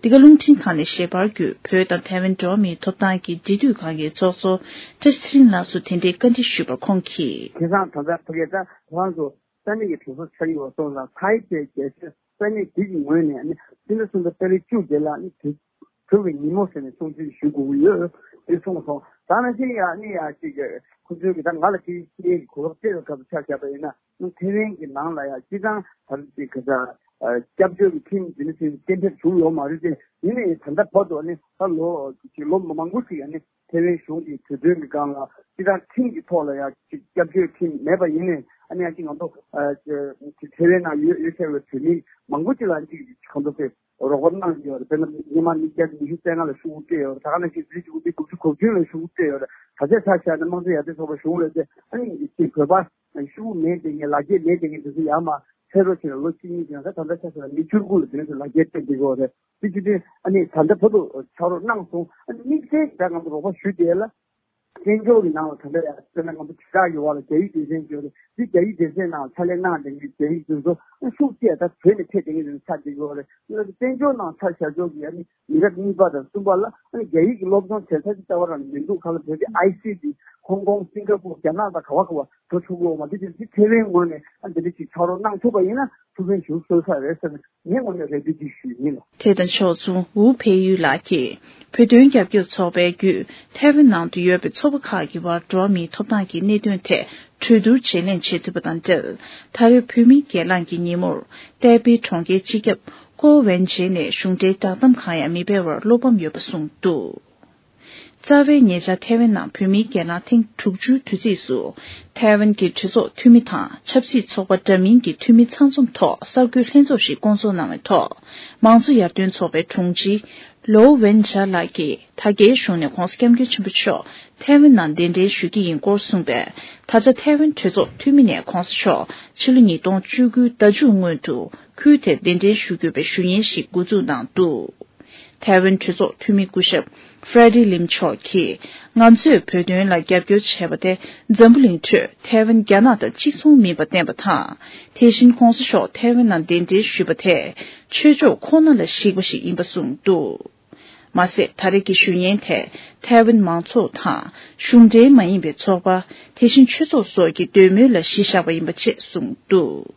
འདི་ག་རླུང་འཕྲིན་ཁང་ནས་ཞལ་པར་བརྒྱུད། བོད་དང་ཐའེ་ཝན་འགྲོ་བ་མིའི་ཐོབ་ཐང་གི་འབྲེལ་མཐུད་ཁང་གི་ཚོགས་གཙོ་བཀྲ་ཤིས་ཚེ་རིང་ལགས་སུ་དེ་འབྲེལ་བཀའ་འདྲི་ཞུས་པར་ཁོང་གིས། དེང་སང་ད་ལྟ་ཕ་གིར་ད་ཁོ་རང་ཚོ་ས་གནས་ཀྱི་གྲོས་ཚོགས་ཆགས་ཀྱི་ཡོད་སོང་ཙང་། ཐའི་ཅེ་རྒྱལ་སྤྱི་ས་གནས་འདི་གི་ངོས་ནས་ནི་སྤྱི་ཟླ་གསུམ་པའི་ཏ་རིག་བཅུ་བརྒྱད་ལ་ནི་དེ་བོད་ཀྱི་ཉིན་མོ་ཟེར་ནས་སྲུང་བརྩི་ཞུ་དགོས་ཀྱི་ཡོད་ཅེས་གསུངས་སོང་། ད་ནང་བཞིན་ཡང་ནི་ཡང་ཅིག་ཁོ་ཚོའི་གི་ད་ང་ལ་དེ་ཤེས་ཀྱི་གོ་སྐབས་སྤྲད་པའི་སྐབས་ཆ་བཞག་པ་ཡིན་ན། ཐེ་ཝན་གྱི་ནང་ལ་ཡང་སྤྱི་བཏང་ད་ལྟ་ག་ས་སྐྱབས་བཅོལ་གྱི་ཁྲིམས་འདི་ནི་ཚོའི་གཏན་འབེབས་བྱུང་ཡོད་མ་རེད་དེ། ཡིན་ནའི་ད་ལྟ་བར་དུ་ནི་ད་ལོ་ཅིག་ལོ་མང་པོ་ཞིག་ཡང་ནི་ཐེ་ཝན་གཞུང་གི་གྲོས་དོན་གྱི་སྒང་ལ་སྤྱི་བཏང་ཁྲིམས་ཀྱི་ཐོག་ལ་ཡང་ཅིག་སྐྱབས་བཅོལ་ཁྲིམས་མེད་པ་ཡིན་ནའི། ཨ་ནི་ཡང་ཅིག་ང་ཚོ་ཐེ་ཝན་ནང་ཡོད་ཡོད་ཚད་པའི་བོད་མི་མང་པོ་ཅིག་ལ་ཅིག་གང་འདུག་ཟེར། རོགས་རམ་གནང་གི་ཡོད་རེད། དཔེར་ན་སྔོན་མ་ནི་བརྒྱ་ཉི་ཤུ་རྩ་ལྔ་ལ་ཤོག་བུ་སྤྲད་ཡོད་རེད། ད་ག་ནང་བཞིན་བརྒྱད་ཅུ་གོ་བདུན་གོ་བདུན་ལ་ཤོག་བུ་སྤྲད་ཡོད་རེད། ད་ཆ་ཆ་བཞག་ན་དམངས་གཙོ་ཡར་ཐོན་ཚོགས་པ་གཞུང་ལ་བལྟས། ཨ་ནི་ཅིག་བོད་པ་ཤོག་བུ་མེད་མཁན་གྱི་ལག་འཁྱེར་མེད་མཁན་གྱི་དེ་ཚོ་ཡར་མར་ཕེབས་རོགས་བྱས་ན་ལོ་གཅིག་གཉིས་ཀྱང་ད་ད་ལྟ་ཆ་བཞག་ན་མི་བཅུ་དགུ་ལ་དེ་ཚོ་ལག་འཁྱེར་སྤྲད་བསྡད་ཀྱི་ཡོད་རེད། དེ་བྱས་དུས་ཨ་ནི་ད་ལྟ་བར་དུ་ཕྱག་རོགས་གནང་སོང་། ཨ་ནི་དམིགས་བསལ་གྱི་ད་ང་ཚོ་རོགས་པ་ཞུ་བསྡད་ལ། བཙན་བྱོལ་གྱི་ནང་ལ་ད་ལྟ་ཡང་དཔེར་ན་ང་ཚོ་དྲིལ་བསྒྲགས་ཀྱི་འོག་ལ་རྒྱ་ཡིག་སྡེ་ཚན་ཡོད་རེད། འདི་རྒྱ་ཡིག་སྡེ་ཚན་ནང་ཕྱག་ལས་གནང་བསྡད་མཁན་རྒྱ་ཡིག་དེ་ཚོ་ཤུགས་ཆེ་ད་བོད་ནས་ཕེབས་བསྡད་མཁན་དེ་ཚོ་ཆགས་བསྡད་ཀྱི་ཡོད་རེད། བཙན་བྱོལ་ནང་ཆ་བཞག་ཆོག་གི་ཨ་ནི་མི་རབས་གཉིས་པ་དང་གསུམ་པ་ལ་ཨ་ནི་རྒྱ་ཡིག་གི་སློབ་སྦྱོང་བྱེད་ས་ཅིག་རྩ་བ་རང་མི་འདུག་ག་ལ་བོད་པའི་ཨའི་སི་ཊི། ཧོང་ཀོང་། སིང་ག་པུར། རྒྱ་ནག་དང་ག་བ་ག་བ་འགྲོ་ཆོག་གི་ཡོད་མ་རེད། དེ་དེ་ཐེ་ཝན་ངོས་ནས་ཨ་འདི་འདྲ་ཅིག་ཕྱག་རོགས་གནང་ཐུབ་པ་ཡིན་ན་ཐུགས་ཕན་ཞེ་པོ་གསོས་ས་རེད་ཟེར་ནས་ངའི་ངོས་ནས་རེ་འདུན་ཅིག་ཞུས་ཡིན། དེ་དང་ཕྱོགས་མཚུངས། ཝུའུ་ཕེ་ཡུས་ལགས་ཀྱིས་བོད་དོན་རྒྱབ་སྐྱོར་ཚོགས་པའི་བརྒྱུད་ཐའེ་ཝན་ནང་དུ་ཡོད་པའི་ཚོགས་པ་ཁག་གི་བར་འགྲོ་བ་མིའི་ཐོབ་ཐང་གི་གནད་དོན་ཐད་གྲོས་བསྡུར་བརྗེ་ལེན་བྱེད་ཐུབ་པ་དང་འབྲེལ། ད་རེས་བོད་མིའི་སྒེར་ལངས་ཀྱི་ཉིན་མོར་ཏའེ་པེ་གྲོང་ཁྱེར་སྤྱི་ཁྱབ་ཀོ་ཝེན་ཇེ་ནས་གཞུང་འབྲེལ་བསྒྲགས་གཏམ་གང་ཡང་མི་སྤེལ་བར་བློ་ཕམ་ཡོད་པ་གསུངས་འདུག་རྩ་བའི་ཉེ་ཆར་ཐའེ་ཝན་ནང་བོད་མིའི་སྒེར་ལངས་ཐེངས་དྲུག་ཅུའི་དུས་ཚིགས་སུ། ཐའེ་ཝན་གྱི་གྲོས་ཚོགས་འཐུས་མི་དང་ཆབ་སྲིད་ཚོགས་པ་འདྲ་མིན་གྱི་འཐུས་མི་ཚང་འཛོམས་ཐོག་གསར་འགོད་ལྷན་ཚོགས་ཤིག་བསྐོང་ཚོགས་གནང་བའི་ཐོག་མང་གཙོ་ཡར་ཐོན་ཚོགས་པའི་དྲུང་ཆེ་ལོའུ་ཝེན་ཇཱ་ལགས་ཀྱིས་ད་རྒྱའི་གཞུང་ནས་༧གོང་ས་༧སྐྱབས་མགོན་ཆེན་པོ་མཆོག་ཐའེ་ཝན་ནང་གདན་འདྲེན་ཞུ་གི་ཡིན་སྐོར་གསུངས་པས། ད་ཆ་ཐའེ་ཝན་གྲོས་ཚོགས་འཐུས་མི་ནས་༧གོང་ས་མཆོག་ཕྱི་ལོ་ཉིས་སྟོང་བཅུ་དགུའི་ཟླ་མཇུག་སྔོན་དུ་ཁུལ་དེར་གདན་འདྲེན་ཞུ་དགོས་པའི་ཞུ་སྙན་ཞིག་འགོ་འཛུགས་གནང་འདུག་ཐའེ་ཝན་གྲོས་ཚོགས་འཐུས་མི་སྐུ་ཞབས་Freddy Lim མཆོག་གིས། ང་ཚོས་བོད་དོན་ལ་རྒྱབ་སྐྱོར་བྱས་པ་དེ་འཛམ་བུ་གླིང་ཁྲོད་ཐའེ་ཝན་རྒྱ་ནག་དང་གཅིག་མཚུངས་མིན་པ་བསྟན་པ་དང་། དེ་བཞིན་༧གོང་ས་མཆོག་ཐའེ་ཝན་ནང་གདན་འདྲེན་ཞུས་པ་དེས་ཆོས་ཕྱོགས་ཁོ་ན་ལ་གཞིགས་པ་ཞིག་ཡིན་པ་གསུངས་འདུག་མ་ཟད། ད་རེས་ཀྱི་ཞུ་སྙན་དེ་ཐའེ་ཝན་མང་ཚོགས་དང་། གཞུང་འབྲེལ་མ་ཡིན་པའི་ཚོགས་པ། དེ་བཞིན་ཆོས་ཚོགས་སོགས་ཀྱི་འདོད་མོས་ལ་གཞི་བཞག་པ་ཡིན་པ་བཅས་གསུངས་འདུག་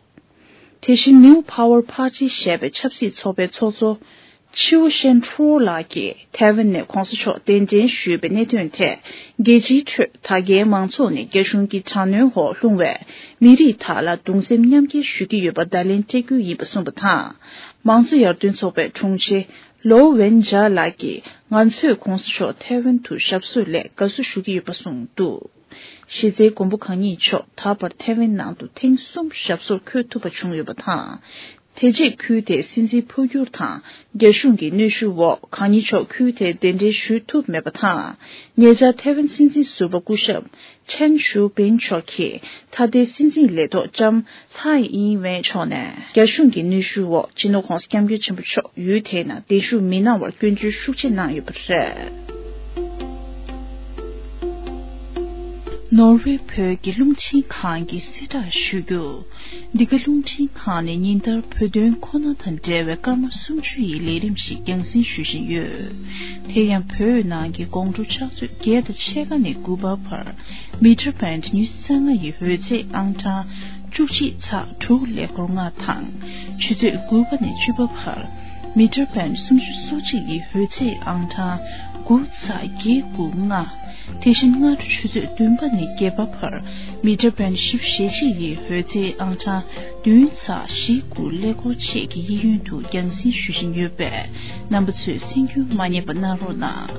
དེ་བཞིན་New Power Party ཞེས་པའི་ཆབ་སྲིད་ཚོགས་པའི་ཚོགས་གཙོ་ཆིའུ་ཤན་ཁྲོ་ལགས་ཀྱིས་ཐའེ་ཝན་ནས་༧གོང་ས་མཆོག་གདན་འདྲེན་ཞུས་པའི་གནད་དོན་ཐད། རྒྱལ་སྤྱིའི་ཁྲོད་ད་རྒྱའི་མང་ཚོགས་ནས་རྒྱ་གཞུང་གི་དྲག་གནོན་འོག་ལྷུང་བའི་མི་རིགས་དག་ལ་གདུང་སེམས་མཉམ་སྐྱེད་ཞུ་གི་ཡོད་པ་བརྡ་ལན་སྤྲད་རྒྱུ་ཡིན་པ་གསུངས་པ་དང་། མང་གཙོ་ཡར་ཐོན་ཚོགས་པའི་དྲུང་ཆེ་ལོའུ་ཝེན་ཇཱ་ལགས་ཀྱིས་ང་ཚོས་༧གོང་ས་མཆོག་ཐའེ་ཝན་དུ་ཞབས་སོར་སླེབས་དགའ་བསུ་ཞུ་གི་ཡོད་པ་གསུངས་འདུག་གཞི་རྩའི་མགོན་པོ་གང་ཉིད་མཆོག་ད་བར་ཐའེ་ཝན་ནང་དུ་ཐེངས་གསུམ་ཞབས་སོར་འཁོད་ཐུབ་པ་བྱུང་ཡོད་པ་དང་། དེ་རྗེས་ཁུལ་དེའི་སྲིད་འཛིན་འཕོ་འགྱུར་དང་། རྒྱ་གཞུང་གི་གནོན་ཤུགས་འོག་གང་ཉིད་མཆོག་ཁུལ་དེར་གདན་འདྲེན་ཞུ་ཐུབ་མེད་པ་དང་། ཉེ་ཆར་ཐའེ་ཝན་སྲིད་འཛིན་ཟུར་པ་སྐུ་ཞབས་ཆན་ཞུ་པིན་མཆོག་གིས་ད་ལྟའི་སྲིད་འཛིན་ལས་ཐོག་ལྕམ་ཚའེ་ཨིན་ཝེན་མཆོག་ནས་རྒྱ་གཞུང་གི་གནོན་ཤུགས་འོག་སྤྱི་ནོར་༧གོང་ས་༧སྐྱབས་མགོན་ཆེན་པོ་མཆོག་ཡུལ་དེའི་ནང་གདན་ཞུ་མི་གནང་བར་སྐྱོན་བརྗོད་ཤུགས་ཆེ་གནང་ཡོད་པ་རེད། ནོར་ཝེ་བོད་ཀྱི་རླུང་འཕྲིན་ཁང་གིས་གསལ་བསྒྲགས་ཞུ་རྒྱུ། འདི་ག་རླུང་འཕྲིན་ཁང་ནས་ཉིན་ལྟར་བོད་དོན་ཁོ་ན་དང་འབྲེལ་བའི་སྐར་མ་སུམ་ཅུ་ཡི་ལས་རིམ་ཞིག་རྒྱང་སྲིང་ཞུ་བཞིན་ཡོད། དེ་ཡང་བོད་ནང་གི་དགོང་དྲོ་ཕྱག་ཚོད་བརྒྱད་དང་ཕྱེད་ཀ་ནས་དགུ་པ་བར་མི་ཊར་བེན་ཌི་ཉི་ཤུ་རྩ་ལྔ་ཡི་འོད་ཚད་ཨང་གྲངས་བཅུ་གཅིག་ཚེག་དྲུག་ཀླད་ཀོར་ལྔ་དང་། ཆུ་ཚོད་དགུ་པ་ནས་བཅུ་པ་བར་མི་ཊར་བེན་ཌི་སུམ་ཅུ་སོ་གཅིག་ཡི་འོད་ཚད་ཨང་གྲངས་དགུ་ཚེག་བརྒྱད་དགུ་ལྔ། དེ་བཞིན་སྔ་དྲོ་ཆུ་ཚོད་བདུན་པ་ནས་བརྒྱད་པ་བར་མི་ཊར་བེན་ཌི་བཞི་བཅུ་ཞེ་གཅིག་ཡི་འོད་ཚད་ཨང་གྲངས་བདུན་ཚེག་བཞི་དགུ་ཀླད་ཀོར་བཅས་ཀྱི་གཡས་གཡོན་དུ་རྒྱང་སྲིང་ཞུ་བཞིན་ཡོད་པས། རྣམ་པ་ཚོས་གསན་རྒྱུ་མ་བསྙེལ་བ་གནང་རོགས་གནང་།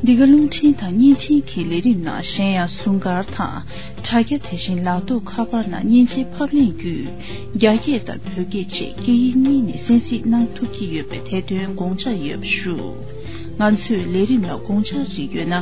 འདི་ག་རླུང་འཕྲིན་དང་བརྙན་འཕྲིན་གྱི་ལས་རིམ་ནང་གཞན་ཡང་ཟུར་མཁར་དང་དྲ་རྒྱ། དེ་བཞིན་ལག་ཐོགས་ཁ་པར་ནང་མཉེན་ཆས་ཕབ་ལེན་བརྒྱུད་རྒྱ་སྐད་དང་བོད་སྐད་བཅས་སྐད་ཡིག་གཉིས་ནས་གསན་གཟིགས་གནང་ཐུབ་ཀྱི་ཡོད་པས་དེ་དོན་དགོངས་འཇགས་ཡོད་པ་ཞུ། ང་ཚོའི་ལས་རིམ་ལ་དགོངས་འཆར་རིགས་ཡོད་ན།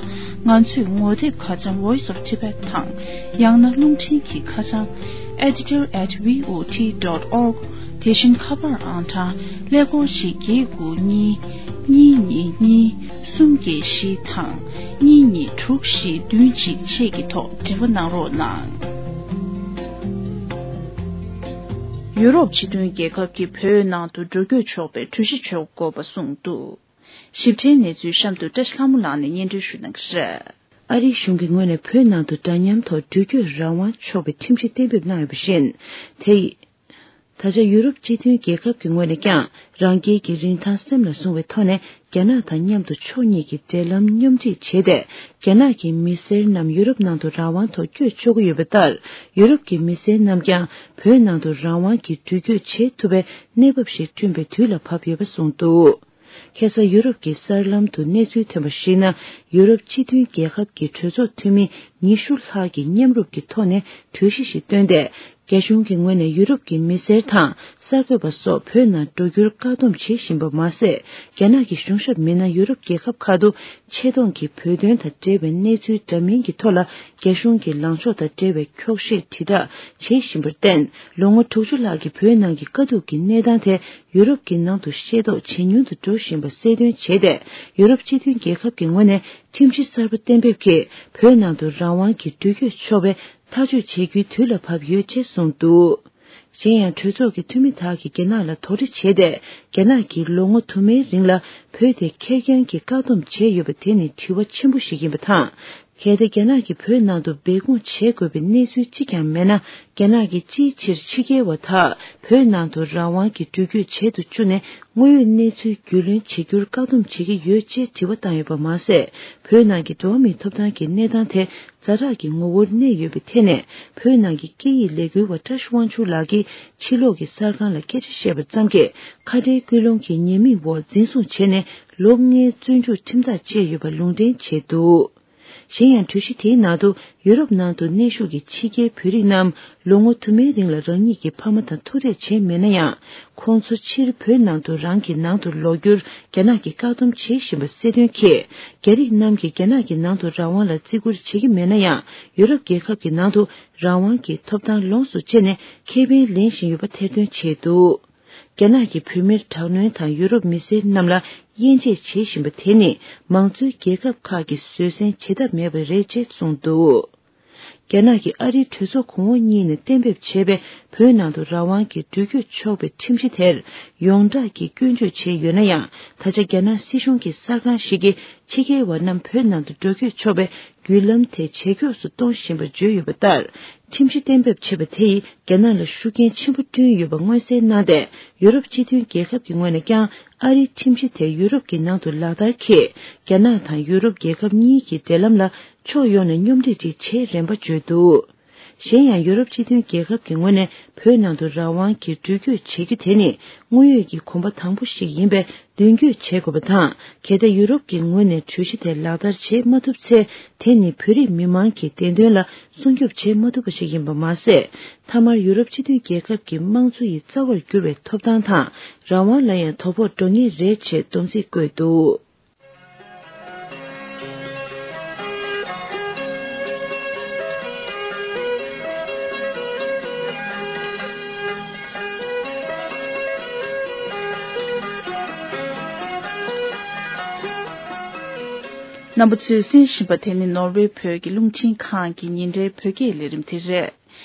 ང་ཚོའི་ངོ་དེབ་ཁ་བྱང་Voice of Tibet དང་། ཡང་ན་རླུང་འཕྲིན་གྱི་ཁ་བྱང་editor at V O T dot org། དེ་བཞིན་ཁ་པར་ཨང་གྲངས་ཀླད་ཀོར་གཅིག་བརྒྱད་དགུ་གཉིས་གཉིས་གཉིས་གཉིས་གསུམ་བརྒྱད་བཞི་དང་གཉིས་གཉིས་དྲུག་བཞི་བདུན་གཅིག་བཅས་ཀྱི་ཐོག་འབྲེལ་བ་གནང་རོགས་གནང་། ཡུ་རོབ་སྤྱི་མཐུན་རྒྱལ་ཁབ་ཀྱིས་བོད་ནང་དུ་འགྲོ་སྐྱོད་ཆོག་པའི་གྲོས་གཞི་འཇོག་དགོས་པ་གསུངས་འདུག། ཞིབ་ཕྲའི་གནས་ཚུལ་གཤམ་དུ་བཀྲ་ཤིས་ལྷ་མོ་ལགས་ནས་སྙན་སྒྲོན་ཞུ་གནང་གི་རེད། ཨ་རིའི་གཞུང་གི་ངོས་ནས་བོད་ནང་དུ་འདྲ་མཉམ་ཐོག་འགྲུལ་སྐྱོད་རང་དབང་ཆོག་པའི་ཁྲིམས་གཞི་གཏན་འབེབས་གནང་ཡོད་པ་བཞིན། དེ་ཡིས། ད་ཆ་ཡུ་རོབ་སྤྱི་མཐུན་རྒྱལ་ཁབ་ཀྱི་ངོས་ནས་ཀྱང་རང་རྒྱལ་གྱི་རིན་ཐང་སེམས་ལ་བཟུང་བའི་ཐོག་ནས་རྒྱ་ནག་དང་མཉམ་དུ་ཕྱོགས་གཉིས་ཀྱི་འབྲེལ་ལམ་སྙོམས་སྒྲིག་བྱས་ཏེ། རྒྱ་ནག་གི་མི་སེར་རྣམས་ཡུ་རོབ་ནང་དུ་རང་དབང་ཐོག་བསྐྱོད་ཆོག་གི་ཡོད་པ་ལྟར། ཡུ་རོབ་ཀྱི་མི་སེར་རྣམས་ཀྱང་བོད་ནང་དུ་རང་དབང་གིས་འགྲུལ་སྐྱོད་བྱེད་ཐུབ་པའི་གནས་བབ་ཞིག་བསྐྲུན་པའི་དུས་ལ་བབ་ཡོད་པ་གསུངས་འདུག། ཁ་སང་ཡུ་རོབ་ཀྱི་གསར་ལམ་དུ་གནས་ཚུལ་ཐོན་པར་གཞིགས་ན། ཡུ་རོབ་སྤྱི་མཐུན་རྒྱལ་ཁབ་ཀྱི་གྲོས་ཚོགས་འཐུས་མི་ཉི་ཤུ་ལྷག་གིས་མཉམ་རུབ་ཀྱི་ཐོག་ནས་གྲོས་གཞི་ཞིག་བཏོན་ཏེ། རྒྱ་གཞུང་གི་ངོས་ནས་ཡུ་རོབ་ཀྱི་མི་སེར་དང་གསར་འགོད་པ་སོགས་བོད་ནང་འགྲོ་རྒྱུར་བཀག་སྡོམ་བྱེད་བཞིན་པ་མ་ཟད། རྒྱ་ནག་གི་གཞུང་ཞབས་མི་སྣ་ཡུ་རོབ་རྒྱལ་ཁབ་ཁག་ཏུ་ཆེད་གཏོང་གིས་བོད་དོན་དང་འབྲེལ་བའི་གནས་ཚུལ་འདྲ་མིན་གྱི་ཐོག་ལ་རྒྱ་གཞུང་གི་ལངས་ཕྱོགས་དང་འབྲེལ་བའི་འཁྱོག་བཤད་དྲིལ་བསྒྲགས་བྱེད་བཞིན་པར་བརྟེན། ལོ་ངོ་དྲུག་ཅུ་ལྷག་གི་བོད་ནང་གི་དཀའ་སྡུག་གི་གནས་སྟངས་དེ། ཡུ་རོབ་ཀྱི་ནང་དུ་ཤེས་རྟོགས་ཇེ་ཉུང་དུ་འགྲོ་བཞིན་པ་གསལ་སྟོན་བྱས་ཏེ། ཡུ་རོབ་སྤྱི་མཐུན་རྒྱལ་ཁབ་ཀྱི་ངོས་ནས་ཁྲིམས་གཞི་གསར་པ་གཏན་འབེབས་ཀྱིས་བོད་ནང་དུ་རང་དབང་གིས་འགྲུལ་སྐྱོད་ཆོག་པའི་ཐག་གཅོད་བྱེད་རྒྱུའི་དུས་ལ་བབ་ཡོད་ཅེས་གསུངས་འདུག། གཞན་ཡང་གྲོས་ཚོགས་ཀྱི་འཐུས་མི་དག་གིས་རྒྱ་ནག་ལ་དོགས་འདྲི་བྱས་ཏེ། རྒྱ་ནག་གིས་ལོ་ངོ་དུ་མའི་རིང་ལ་བོད་དེ་ཁེར་རྐྱང་གིས་བཀག་སྡོམ་བྱས་ཡོད་པ་དེ་ནི་དྲི་བ་ཆེན་པོ་ཞིག་ཡིན་པ་དང་། གལ་ཏེ་རྒྱ་ནག་གིས་བོད་ནང་དུ་སྦས་སྐུང་བྱེད་དགོས་པའི་གནས་ཚུལ་གཅིག་ཀྱང་མེད་ན། རྒྱ་ནག་གིས་ཅིའི་ཕྱིར་ཕྱི་རྒྱལ་བ་དག་བོད་ནང་དུ་རང་དབང་གིས་འགྲུལ་སྐྱོད་བྱེད་དུ་བཅུག་ནས། དངོས་ཡོད་གནས་ཚུལ་རྒྱུས་ལོན་བྱེད་རྒྱུར་བཀག་སྡོམ་བྱེད་ཀྱི་ཡོད་ཅེས་དྲི་བ་བཏང་ཡོད་པ་མ་ཟད། བོད་ནང་གི་འགྲོ་བ་མིའི་ཐོབ་ཐང་གི་གནས་སྟངས་དེ་ཛ་དྲག་གི་ངོ་བོར་གནས་ཡོད་པའི་ཐད་ནས། བོད་ནང་གི་སྐད་ཡིག་ལས་འགུལ་བ་བཀྲ་ཤིས་དབང་ཕྱུག་ལགས་ཀྱིས་ཕྱི་ལོགས་ཀྱི་གསར་ཁང་ལ་སྐད་ཆ་བཤད་པ་ཙམ་གྱིས། ཁ་བྲལ་སྐུལ་སློང་གི་ཉེས་དམིགས་འོག་འཛིན་བཟུང་བྱས་ནས་ལོ་ལྔའི་བཙོན་འཇུག་ཁྲིམས་ཐག་བཅད་ཡོད་པ་ལུང་འདྲེན་བྱས་འདུག། གཞན་ཡང་གྲོས་གཞི་དེའི་ནང་དུ། ཡུ་རོབ་ནང་དུ་གནས་བཞུགས་ཀྱི་ཕྱི་རྒྱལ་བོད་རིགས་རྣམས་ལོ་ངོ་དུ་མའི་རིང་ལ་རང་ཉིད་ཀྱི་ཕ་མ་དང་ཐུག་འཕྲད་བྱས་མེད་ན་ཡང་། ཁོང་ཚོ་ཕྱིར་བོད་ནང་དུ་རང་གི་ནང་དུ་ལོག་རྒྱུར་རྒྱ་ནག་གིས་བཀག་སྡོམ་བྱེད་བཞིན་པ་གསལ་སྟོན་གྱིས། རྒྱ་རིགས་རྣམས་ཀྱིས་རྒྱ་ནག་གི་ནང་དུ་རང་དབང་ལ་བརྩི་བཀུར་བྱེད་ཀྱི་མེད་ན་ཡང་། ཡུ་རོབ་རྒྱལ་ཁབ་ཀྱི་ནང་དུ་རང་དབང་གི་ཐོབ་ཐང་ལོངས་སུ་སྤྱད་ནས་ཁེ་ཕན་ལེན་བཞིན་ཡོད་པ་ཐེར་འདོན་བྱས་འདུག། རྒྱ་ནག་གིས་བོད་མིར་དྲག་གནོན་དང་ཡུ་རོབ་མི་སེར་རྣམས་ལ་དབྱེ་འབྱེད་བྱེད་བཞིན་པ་དེ་ནི། མང་གཙོའི་རྒྱལ་ཁབ་ཁག་གིས་བཟོད་བསྲན་བྱེད་ཐབས་མེད་པ་རེད་ཅེས་གསུངས་འདུག། རྒྱ་ནག་གིས་ཨ་རིའི་གྲོས་ཚོགས་གོང་འོག་གཉིས་ནས་གཏན་འབེབས་བྱས་པའི་བོད་ནང་དུ་རང་དབང་གིས་འགྲུལ་སྐྱོད་ཆོག་པའི་ཁྲིམས་གཞི་དེར་ཡོངས་གྲགས་ཀྱིས་སྐྱོན་བརྗོད་བྱས་ཡོད་ན་ཡང་། ད་ཆ་རྒྱ་ནག་སྲིད་གཞུང་གི་གསར་ཁང་ཞིག་གིས་ཕྱི་རྒྱལ་བ་རྣམས་བོད་ནང་དུ་འགྲོ་སྐྱོད་ཆོག་པའི་བརྒྱུད་ལམ་དེ་ཇེ་མགྱོགས་སུ་གཏོང་བཞིན་པར་བརྗོད་ཡོད་པ་ལྟར། ཁྲིམས་གཞི་གཏན་འབེབས་བྱས་པ་དེ་ཡིས་རྒྱ་ནག་ལ་ཤུགས་རྐྱེན་ཆེན་པོ་བསྐྲུན་ཡོད་པ་མངོན་གསལ་གནང་སྟེ། ཡུ་རོབ་སྤྱི་མཐུན་རྒྱལ་ཁབ་ཀྱི་ངོས་ནས་ཀྱང་ཨ་རིའི་ཁྲིམས་གཞི་དེ་ཡུ་རོབ་ཀྱི་ནང་དུ་ལག་བསྟར་གྱིས། རྒྱ་ནག་དང་ཡུ་རོབ་རྒྱལ་ཁབ་གཉིས་ཀྱི་འབྲེལ་ལམ་ལ་ཕྱོགས་ཡོངས་ནས་སྙོམས་སྒྲིག་ཅིག་བྱེད་རན་པ་བརྗོད་འདུག། གཞན་ཡང་། ཡུ་རོབ་སྤྱི་མཐུན་རྒྱལ་ཁབ་ཀྱི་ངོས་ནས་བོད་ནང་དུ་རང་དབང་གིས་འགྲུལ་སྐྱོད་བྱེད་རྒྱུ་དེ་ནི་དངོས་ཡོད་ཀྱི་གོམ་པ་དང་པོ་ཞིག་ཡིན་པས། མདུན་སྐྱོད་བྱེད་དགོས་པ་དང་། གལ་ཏེ་ཡུ་རོབ་ཀྱི་ངོས་ནས་གྲོས་གཞི་དེ་ལག་བསྟར་བྱེད་མ་ཐུབ་ཚེ། དེ་ནི་བོད་རིགས་མི་མང་གི་བདེ་དོན་ལ་སྲུང་སྐྱོབ་བྱེད་མ་ཐུབ་པ་ཞིག་ཡིན་པ་མ་ཟད། མཐའ་མར་ཡུ་རོབ་སྤྱི་མཐུན་རྒྱལ་ཁབ་ཀྱི་དམངས་གཙོ་ཡི་རྩ་བར་གྱུར་བའི་ཐོབ་ཐང་དང་རང་དབང་ལ་ཡང་དོ་ཕོག་འགྲོ་ངེས་རེད་ཅེས་སྡོམ་ཚིག་བཀོད་འདུག། རྣམ་པ་ཚོས་གསན་བཞིན་པ་དེ་ནི་ནོར་ཝེ་བོད་ཀྱི་རླུང་འཕྲིན་ཁང་གི་ཉིན་རེའི་བོད་སྐད་ལས་རིམ་དེ་རེད།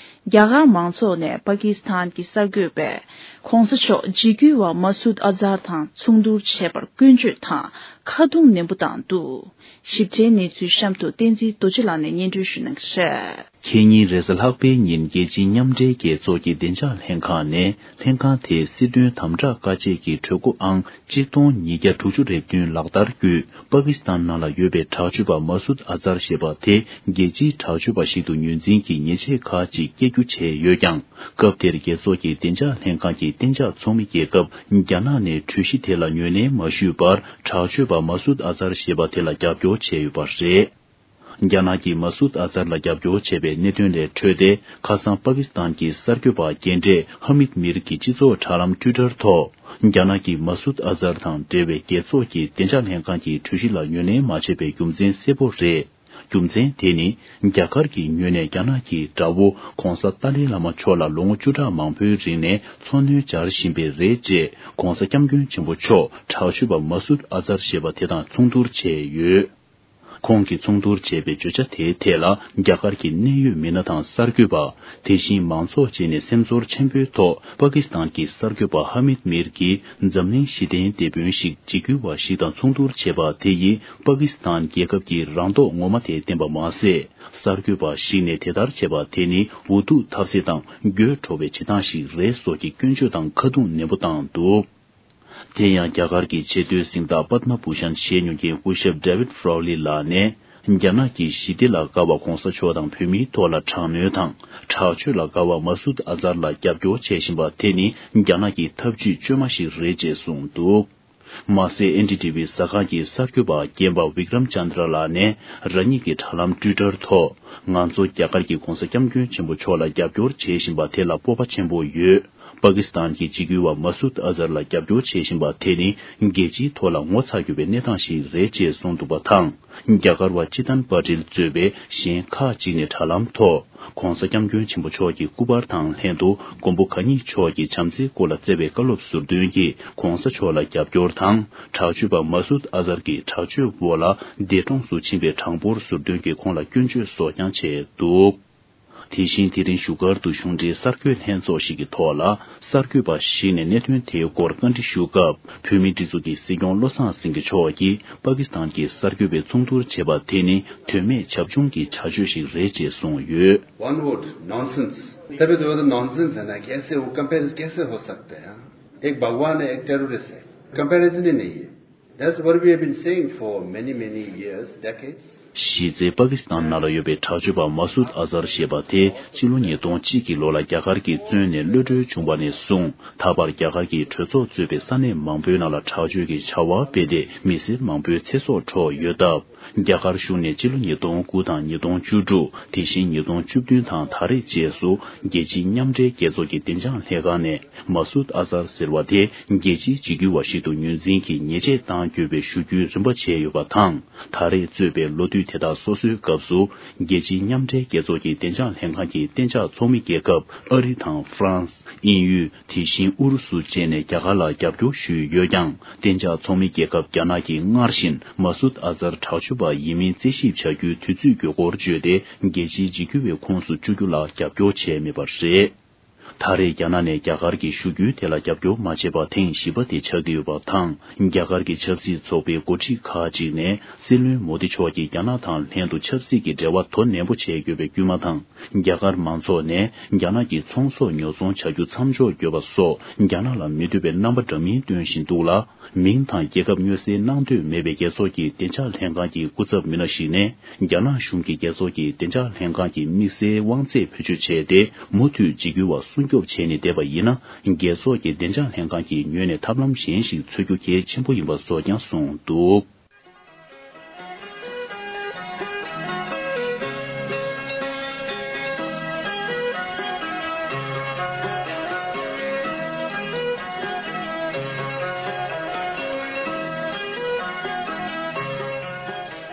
རྒྱ་གར་མང་ཚོགས་ནས་པ་ཀི་སི་ཐན་གྱི་གསར་འགོད་པས་༧གོང་ས་མཆོག་འཇིགས་སྐུལ་བ་མ་སུད་ཨ་ཛར་དང་མཚུངས་བསྡུར་བྱས་པར་སྐྱོན་བརྗོད་དང་ཁ་རྡུང་ནན་པོ་བཏང་འདུག། ཞིབ་ཕྲའི་གནས་ཚུལ་གཤམ་དུ་བསྟན་འཛིན་རྡོ་རྗེ་ལགས་ནས་སྙན་སྒྲོན་ཞུ་གནང་གི་རེད། ཁེ་ཉིན་རེས་གཟའ་ལྷག་པའི་ཉིན་རྒྱལ་སྤྱིའི་མཉམ་འབྲེལ་རྒྱལ་ཚོགས་ཀྱི་བདེ་འཇགས་ལྷན་ཁང་ནས་ལྷན་ཁང་དེའི་སྲིད་དོན་དམ་དྲག་བཀའ་ཆད་ཀྱི་གྲོས་འགོ་ཨང་གཅིག་སྟོང་ཉིས་བརྒྱ་དྲུག་ཅུ་རེ་བདུན་ལག་བསྟར་བརྒྱུད། པ་ཀི་སི་ཐན་ནང་ལ་ཡོད་པའི་དྲག་སྤྱོད་པ་མ་སུད་ཨ་ཛར་ཞེས་པ་དེ་རྒྱལ་སྤྱིའི་དྲག་སྤྱོད་པ་ཞིག་ཏུ་ངོས་འཛིན་གྱིས་ཉེས་ཆད་ཁག་ཅིག་བཀལ་རྒྱུ་བྱས་ཡོད་ཀྱང་། སྐབས་དེར་རྒྱལ་ཚོགས་ཀྱི་བདེ་འཇགས་ལྷན་ཁང་གི་གཏན་འཇགས་ཚོགས་མི་རྒྱལ་ཁབ་རྒྱ་ནག་ནས་གྲོས་གཞི་དེ་ལ་ངོས་ལེན་མ་ཞུས་པར། དྲག་སྤྱོད་པ་མ་སུད་ཨ་ཛར་ཞེས་པ་དེ་ལ་རྒྱབ་སྐྱོར་བྱས་ཡོད་པ་རེད། རྒྱ་ནག་གིས་མ་སུད་ཨ་ཛར་ལ་རྒྱབ་སྐྱོར་བྱས་པའི་གནད་དོན་ལས་འཕྲོས་ཏེ། ཁ་སང་པ་ཀི་སི་ཐན་གྱི་གསར་འགོད་པ་རྒན་གྲས་ཧ་མིད་མིར་གྱིས་སྤྱི་ཚོགས་དྲ་ལམ་ཊུའི་ཊར་ཐོག་རྒྱ་ནག་གིས་མ་སུད་ཨ་ཛར་དང་འབྲེལ་བའི་རྒྱལ་ཚོགས་ཀྱི་བདེ་འཇགས་ལྷན་ཁང་གི་གྲོས་གཞི་ལ་ངོས་ལེན་མ་བྱས་པའི་རྒྱུ་མཚན་གསལ་པོ་རེད། རྒྱུ་མཚན་དེ་ནི། རྒྱ་གར་གྱི་ངོས་ནས་རྒྱ་ནག་གི་དགྲ་བོ་༧གོང་ས་ཏཱ་ལའི་བླ་མ་མཆོག་ལ་ལོ་ངོ་བཅུ་ཕྲག་མང་པོའི་རིང་ནས་འཚོ་སྣོན་སྦྱར་བཞིན་པའི་རེད་ཅེས་༧གོང་ས་༧སྐྱབས་མགོན་ཆེན་པོ་མཆོག་དྲག་སྤྱོད་པ་མ་སུད་ཨ་ཛར་ཞེས་པ་དེ་དང་མཚུངས་བསྡུར་བྱས་ཡོད། ཁོང་གིས་མཚུངས་བསྡུར་བྱས་པའི་བརྗོད་བྱ་དེའི་ཐད་ལ། རྒྱ་གར་གྱི་གནད་ཡོད་མི་སྣ་དང་གསར་འགོད་པ། དེ་བཞིན་མང་ཚོགས་བཅས་ནས་སེམས་ཚོར་ཆེན་པོའི་ཐོག་པ་ཀི་སི་ཐན་གྱི་གསར་འགོད་པ་ཧ་མིད་མིར་གྱིས། འཛམ་གླིང་ཞི་བདེའི་དེད་དཔོན་ཞིག་འཇིགས་སྐུལ་བ་ཞིག་དང་མཚུངས་བསྡུར་བྱས་པ་དེ་ཡིས། པ་ཀི་སི་ཐན་རྒྱལ་ཁབ་ཀྱི་རང་མདོག་ངོ་མ་དེ་བསྟན་པ་མ་ཟད། གསར་འགོད་པ་ཞིག་ནས་དེ་ལྟར་བྱས་པ་དེ་ནི། འུ་ཐུག་ཐབས་ཟད་དང་། དགོད་བྲོ་བའི་བྱེད་སྟངས་ཤིག་རེད་སོགས་ཀྱི་སྐྱོན་བརྗོད་དང་ཁ་རྡུང་ནན་པོ་བཏང་འདུག། དེ་ཡང་། རྒྱ་གར་གྱི་ཆེས་མཐོའི་གཟེངས་རྟགས་པདྨ་བྷུ་ཤན་བཞེས་མྱོང་མཁན་སྐུ་ཞབས་David Crowley་ལགས་ནས། རྒྱ་ནག་གིས་ཞི་བདེ་ལ་དགའ་བ་༧གོང་ས་མཆོག་དང་བོད་མིའི་ཐོག་ལ་དྲག་གནོན་དང་། དྲག་སྤྱོད་ལ་དགའ་བ་མ་སུད་ཨ་ཛར་ལ་རྒྱབ་སྐྱོར་བྱེད་བཞིན་པ་དེ་ནི། རྒྱ་ནག་གི་ཐབས་ཇུས་བཅོས་མ་ཞིག་རེད་ཅེས་གསུངས་འདུག། མ་ཟད། ཨེན་ཌི་ཊི་ཝི་གསར་ཁང་གི་གསར་འགོད་པ་རྒན་པ་Vikram Chandra་ལགས་ནས། རང་ཉིད་ཀྱི་དྲ་ལམ་ཊུའི་ཊར་ཐོག་ང་ཚོ་རྒྱ་གར་གྱིས་༧གོང་ས་༧སྐྱབས་མགོན་ཆེན་པོ་མཆོག་ལ་རྒྱབ་སྐྱོར་བྱེད་བཞིན་པ་དེ་ལ་སྤོབས་པ་ཆེན་པོ་ཡོད། པ་ཀི་སི་ཐན་གྱི་འཇིགས་སྐུལ་བ་མ་སུད་ཨ་ཛར་ལ་རྒྱབ་སྐྱོར་བྱེད་བཞིན་པ་དེ་ནི། རྒྱལ་སྤྱིའི་ཐོག་ལ་ངོ་ཚ་དགོས་པའི་གནས་སྟངས་ཤིག་རེད་ཅེས་གསུངས་འདུག་པ་དང་། རྒྱ་གར་བ་ཅི་ཏན་པ་ཏིལ་གཙོས་པའི་གཞན་ཁག་ཅིག་ནས་དྲ་ལམ་ཐོག ༧གོང་ས་༧སྐྱབས་མགོན་ཆེན་པོ་མཆོག་གི་སྐུ་པར་དང་ལྷན་དུ། མགོན་པོ་གང་ཉིད་མཆོག་གི་བྱམས་བརྩེའི་སྐོར་ལ་བསྩལ་བའི་བཀའ་སློབ་ཟུར་འདོན་གྱིས། ༧གོང་ས་མཆོག་ལ་རྒྱབ་སྐྱོར་དང་། དྲག་སྤྱོད་པ་མ་སུད་ཨ་ཛར་གྱི་དྲག་སྤྱོད་འོག་ལ། འདས་གྲོངས་སུ་ཕྱིན་པའི་གྲངས་འབོར་ཟུར་འདོན་གྱིས་ཁོང་ལ་སྐྱོན་བརྗོད་སོགས་ཀྱང་བྱས་འདུག། དེ་བཞིན། དེ་རིང་བཞུགས་སྒར་དུ་གཞུང་འབྲེལ་གསར་འགོད་ལྷན་ཚོགས་ཤིག་གི་ཐོག་ལ། གསར་འགོད་པ་ཞིག་ནས་གནད་དོན་དེའི་སྐོར་བཀའ་འདྲི་ཞུ་སྐབས། བོད་མིའི་སྒྲིག་འཛུགས་ཀྱི་སྲིད་སྐྱོང་བློ་བཟང་སེང་གེ་མཆོག་གིས། པ་ཀི་སི་ཐན་གྱི་གསར་འགོད་པའི་མཚུངས་བསྡུར་བྱས་པ་དེ་ནི། དོན་མེད་བྱབ་ཆུང་གི་བྱ་སྤྱོད་ཞིག་རེད་ཅེས་གསུངས་ཡོད། one would nonsense. तभी तो वो तो नॉनसेंस है ना, कैसे वो कंपैरिजन कैसे हो सकता है? हाँ? एक भगवान है, एक टेररिस्ट है, कंपैरिजन ही नहीं है। That's what we have been saying for many, many years, decades. གཞི་རྩའི་པ་ཀི་སི་ཐན་ནང་ལ་ཡོད་པའི་དྲག་སྤྱོད་པ་མ་སུད་ཨ་ཛར་ཞེས་པ་དེ། ཕྱི་ལོ་ཉིས་སྟོང་གཅིག་གི་ལོ་ལ་རྒྱ་གར་གྱིས་བཙོན་ནས་གློད་གྲོལ་བྱུང་བ་ནས་བཟུང་། ད་བར་རྒྱ་གར་གྱི་གྲོས་ཚོགས་གཙོས་པའི་ས་གནས་མང་པོའི་ནང་ལ་དྲག་སྤྱོད་ཀྱི་བྱ་བ་སྤེལ་ཏེ། མི་སེར་མང་པོའི་ཚེ་སྲོག་འཕྲོག་ཡོད་སྟབས། རྒྱ་གར་གཞུང་ནས་ཕྱི་ལོ་ཉིས་སྟོང་དགུ་དང་ཉིས་སྟོང་བཅུ་དྲུག། དེ་བཞིན་ཉིས་སྟོང་བཅུ་བདུན་དང་ད་རེས་བཅས་སུ། རྒྱལ་སྤྱིའི་མཉམ་འབྲེལ་རྒྱལ་ཚོགས་ཀྱི་བདེ་འཇགས་ལྷན་ཁང་ནས། མ་སུད་ཨ་ཛར་ཟེར་བ་དེ། རྒྱལ་སྤྱིའི་འཇིགས་སྐུལ་བ་ཞིག་ཏུ་ངོས་འཛིན་གྱིས་ཉེས་ཆད་བཏང་དགོས་པའི་ཞུ་རྒྱུའི་རིམ་པ་བྱས་ཡོད་པ་དང་། ད་རེས་གཙོས་པའི་ལོ་དུས་དེ་དག་སོ་སོའི་སྐབས་སུ། རྒྱལ་སྤྱིའི་མཉམ་འབྲེལ་རྒྱལ་ཚོགས་ཀྱི་བདེ་འཇགས་ལྷན་ཁང་གི་གཏན་འཇགས་ཚོགས་མི་རྒྱལ་ཁབ་ཨ་རི་དང་ཧྥ་རན་སི། དབྱིན་ཡུལ། དེ་བཞིན་ཨུ་རུ་སུ་བཅས་ནས་རྒྱ་གར་ལ་རྒྱབ་སྐྱོར་ཞུས་ཡོད་ཀྱང་། གཏན་འཇགས་ཚོགས་མི་རྒྱལ་ཁབ་རྒྱ་ནག་གིས་སྔར་བཞིན་མ་སུད་ཨ་ཛར་དྲག་སྤྱོད་པ་ཡིན་མིན་རྩད་ཞིབ་བྱ་རྒྱུའི་དུས་ཚོད་དགོས་སྐོར་བརྗོད་དེ། རྒྱལ་སྤྱིའི་འཇིགས་སྐུལ་བའི་ཁོངས་སུ་བཅུག་རྒྱུ་ལ་རྒྱབ་སྐྱོར་བྱས་མེད་པ་རེད། ད་རེས་རྒྱ་ནག་ནས་རྒྱ་གར་གྱི་ཞུ་རྒྱུའི་ཐད་ལ་རྒྱབ་སྐྱོར་མ་བྱས་པ་ཐེངས་བཞི་པ་དེ་ཆགས་ཀྱི་ཡོད་པ་དང་། རྒྱ་གར་གྱི་ཆབ་སྲིད་ཚོགས་པའི་འགོ་ཁྲིད་ཁག་ཅིག་ནས། སྲིད་བློན་མོ་དི་མཆོག་གིས་རྒྱ་ནག་དང་ལྷན་དུ་ཆབ་སྲིད་ཀྱི་འབྲེལ་བ་དོ་ནན་པོ་བྱེད་དགོས་པའི་སྐུལ་མ་དང་། རྒྱ་གར་མང་ཚོགས་ནས་རྒྱ་ནག་གི་ཚོང་ཟོག་ཉོ་ཚོང་བྱ་རྒྱུ་མཚམས་འཇོག་དགོས་པ་སོགས། རྒྱ་ནག་ལ་མི་འདོད་པའི་རྣམ་པ་འདྲ་མིན་སྟོན་བཞིན་འདུག་ལ། མིང་དང་རྒྱལ་ཁབ་སྨྱོ་སའི་གནང་འདོད་མེད་པའི་རྒྱལ་ཚོགས་ཀྱི་བདེ་འཇགས་ལྷན་ཁང་གི་སྐུ་ཚབ་མི་སྣ་ཞིག་ནས། རྒྱ་ནག་གཞུང་གིས་རྒྱལ་ཚོགས་ཀྱི་བདེ་འཇགས་ལྷན་ཁང་གི་དམིགས་བསལ་དབང་ཚད་བེད་སྤྱོད་བྱས་ཏེ། མུ་མཐུད་འཇིགས་སྐུལ་བ་སྲུང་སྐྱོབ་བྱས་ནས་བསྡད་པ་ཡིན་ན། རྒྱལ་ཚོགས་ཀྱི་བདེ་འཇགས་ལྷན་ཁང་གི་ངོས་ནས་ཐབས་ལམ་གཞན་ཞིག་འཚོལ་རྒྱུ་གལ་ཆེན་པོ་ཡིན་པ་སོགས་ཀྱང་གསུངས་འདུག།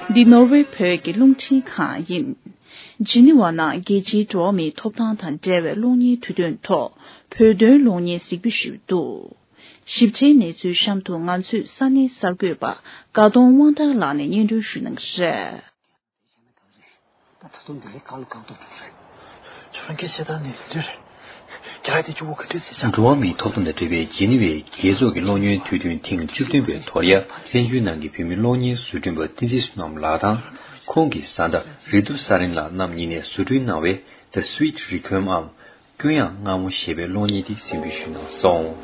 འདི་ནོར་ཝེ་བོད་ཀྱི་རླུང་འཕྲིན་ཁང་ཡིན། ཇི་ནི་ཝ་ནང་རྒྱལ་སྤྱིའི་འགྲོ་བ་མིའི་ཐོབ་ཐང་དང་འབྲེལ་བའི་གློག་བརྙན་དུས་སྟོན་ཐོག་བོད་དོན་གློག་བརྙན་གཟིགས་འབུལ་ཞུས་འདུག། ཞིབ་ཕྲའི་གནས་ཚུལ་གཤམ་དུ་ང་ཚོའི་ས་གནས་གསར་འགོད་པ་དགའ་གདོང་དབང་ཐང་ལགས་ནས་སྙན་སྒྲོན་ཞུ་གནང་གི་རེད། ད་ད་དུང་འདི་ལས་གང་ལ་གང་ཐུབ་ཐུབ་རེད། ཁྱོད་རང་གི་བྱེད་སྟངས་ནི་ག་འདྲ་རེད། རྒྱ་ལ་དེ་གཅིག་པོ་ག་འདྲ་བྱེད་བཞག་འགྲོ་བ་མིའི་ཐོབ་ཐང་དང་འབྲེལ་བའི་ཇི་ནི་ཝའི་རྒྱལ་ཚོགས་ཀྱི་གློག་བརྙན་དུས་སྟོན་ཐེངས་བཅུ་བདུན་པའི་ཐོག་ལ་ཡ། བཙན་བྱོལ་ནང་གི་བོད་མི་གློག་བརྙན་བཟོ་སྐྲུན་པ་བསྟན་འཛིན་བསོད་ནམས་ལགས་དང་། ཁོང་གི་བཟའ་ཟླ་རི་ཏུ་ས་རིན་ལགས་རྣམ་གཉིས་ནས་བཟོ་སྐྲུན་གནང་བའི་The Sweet Requiem འམ། སྐྱོ་ཡང་མངར་མོ་ཞེས་པའི་གློག་བརྙན་དེ་གཟིགས་འབུལ་ཞུས་གནང་སོང་།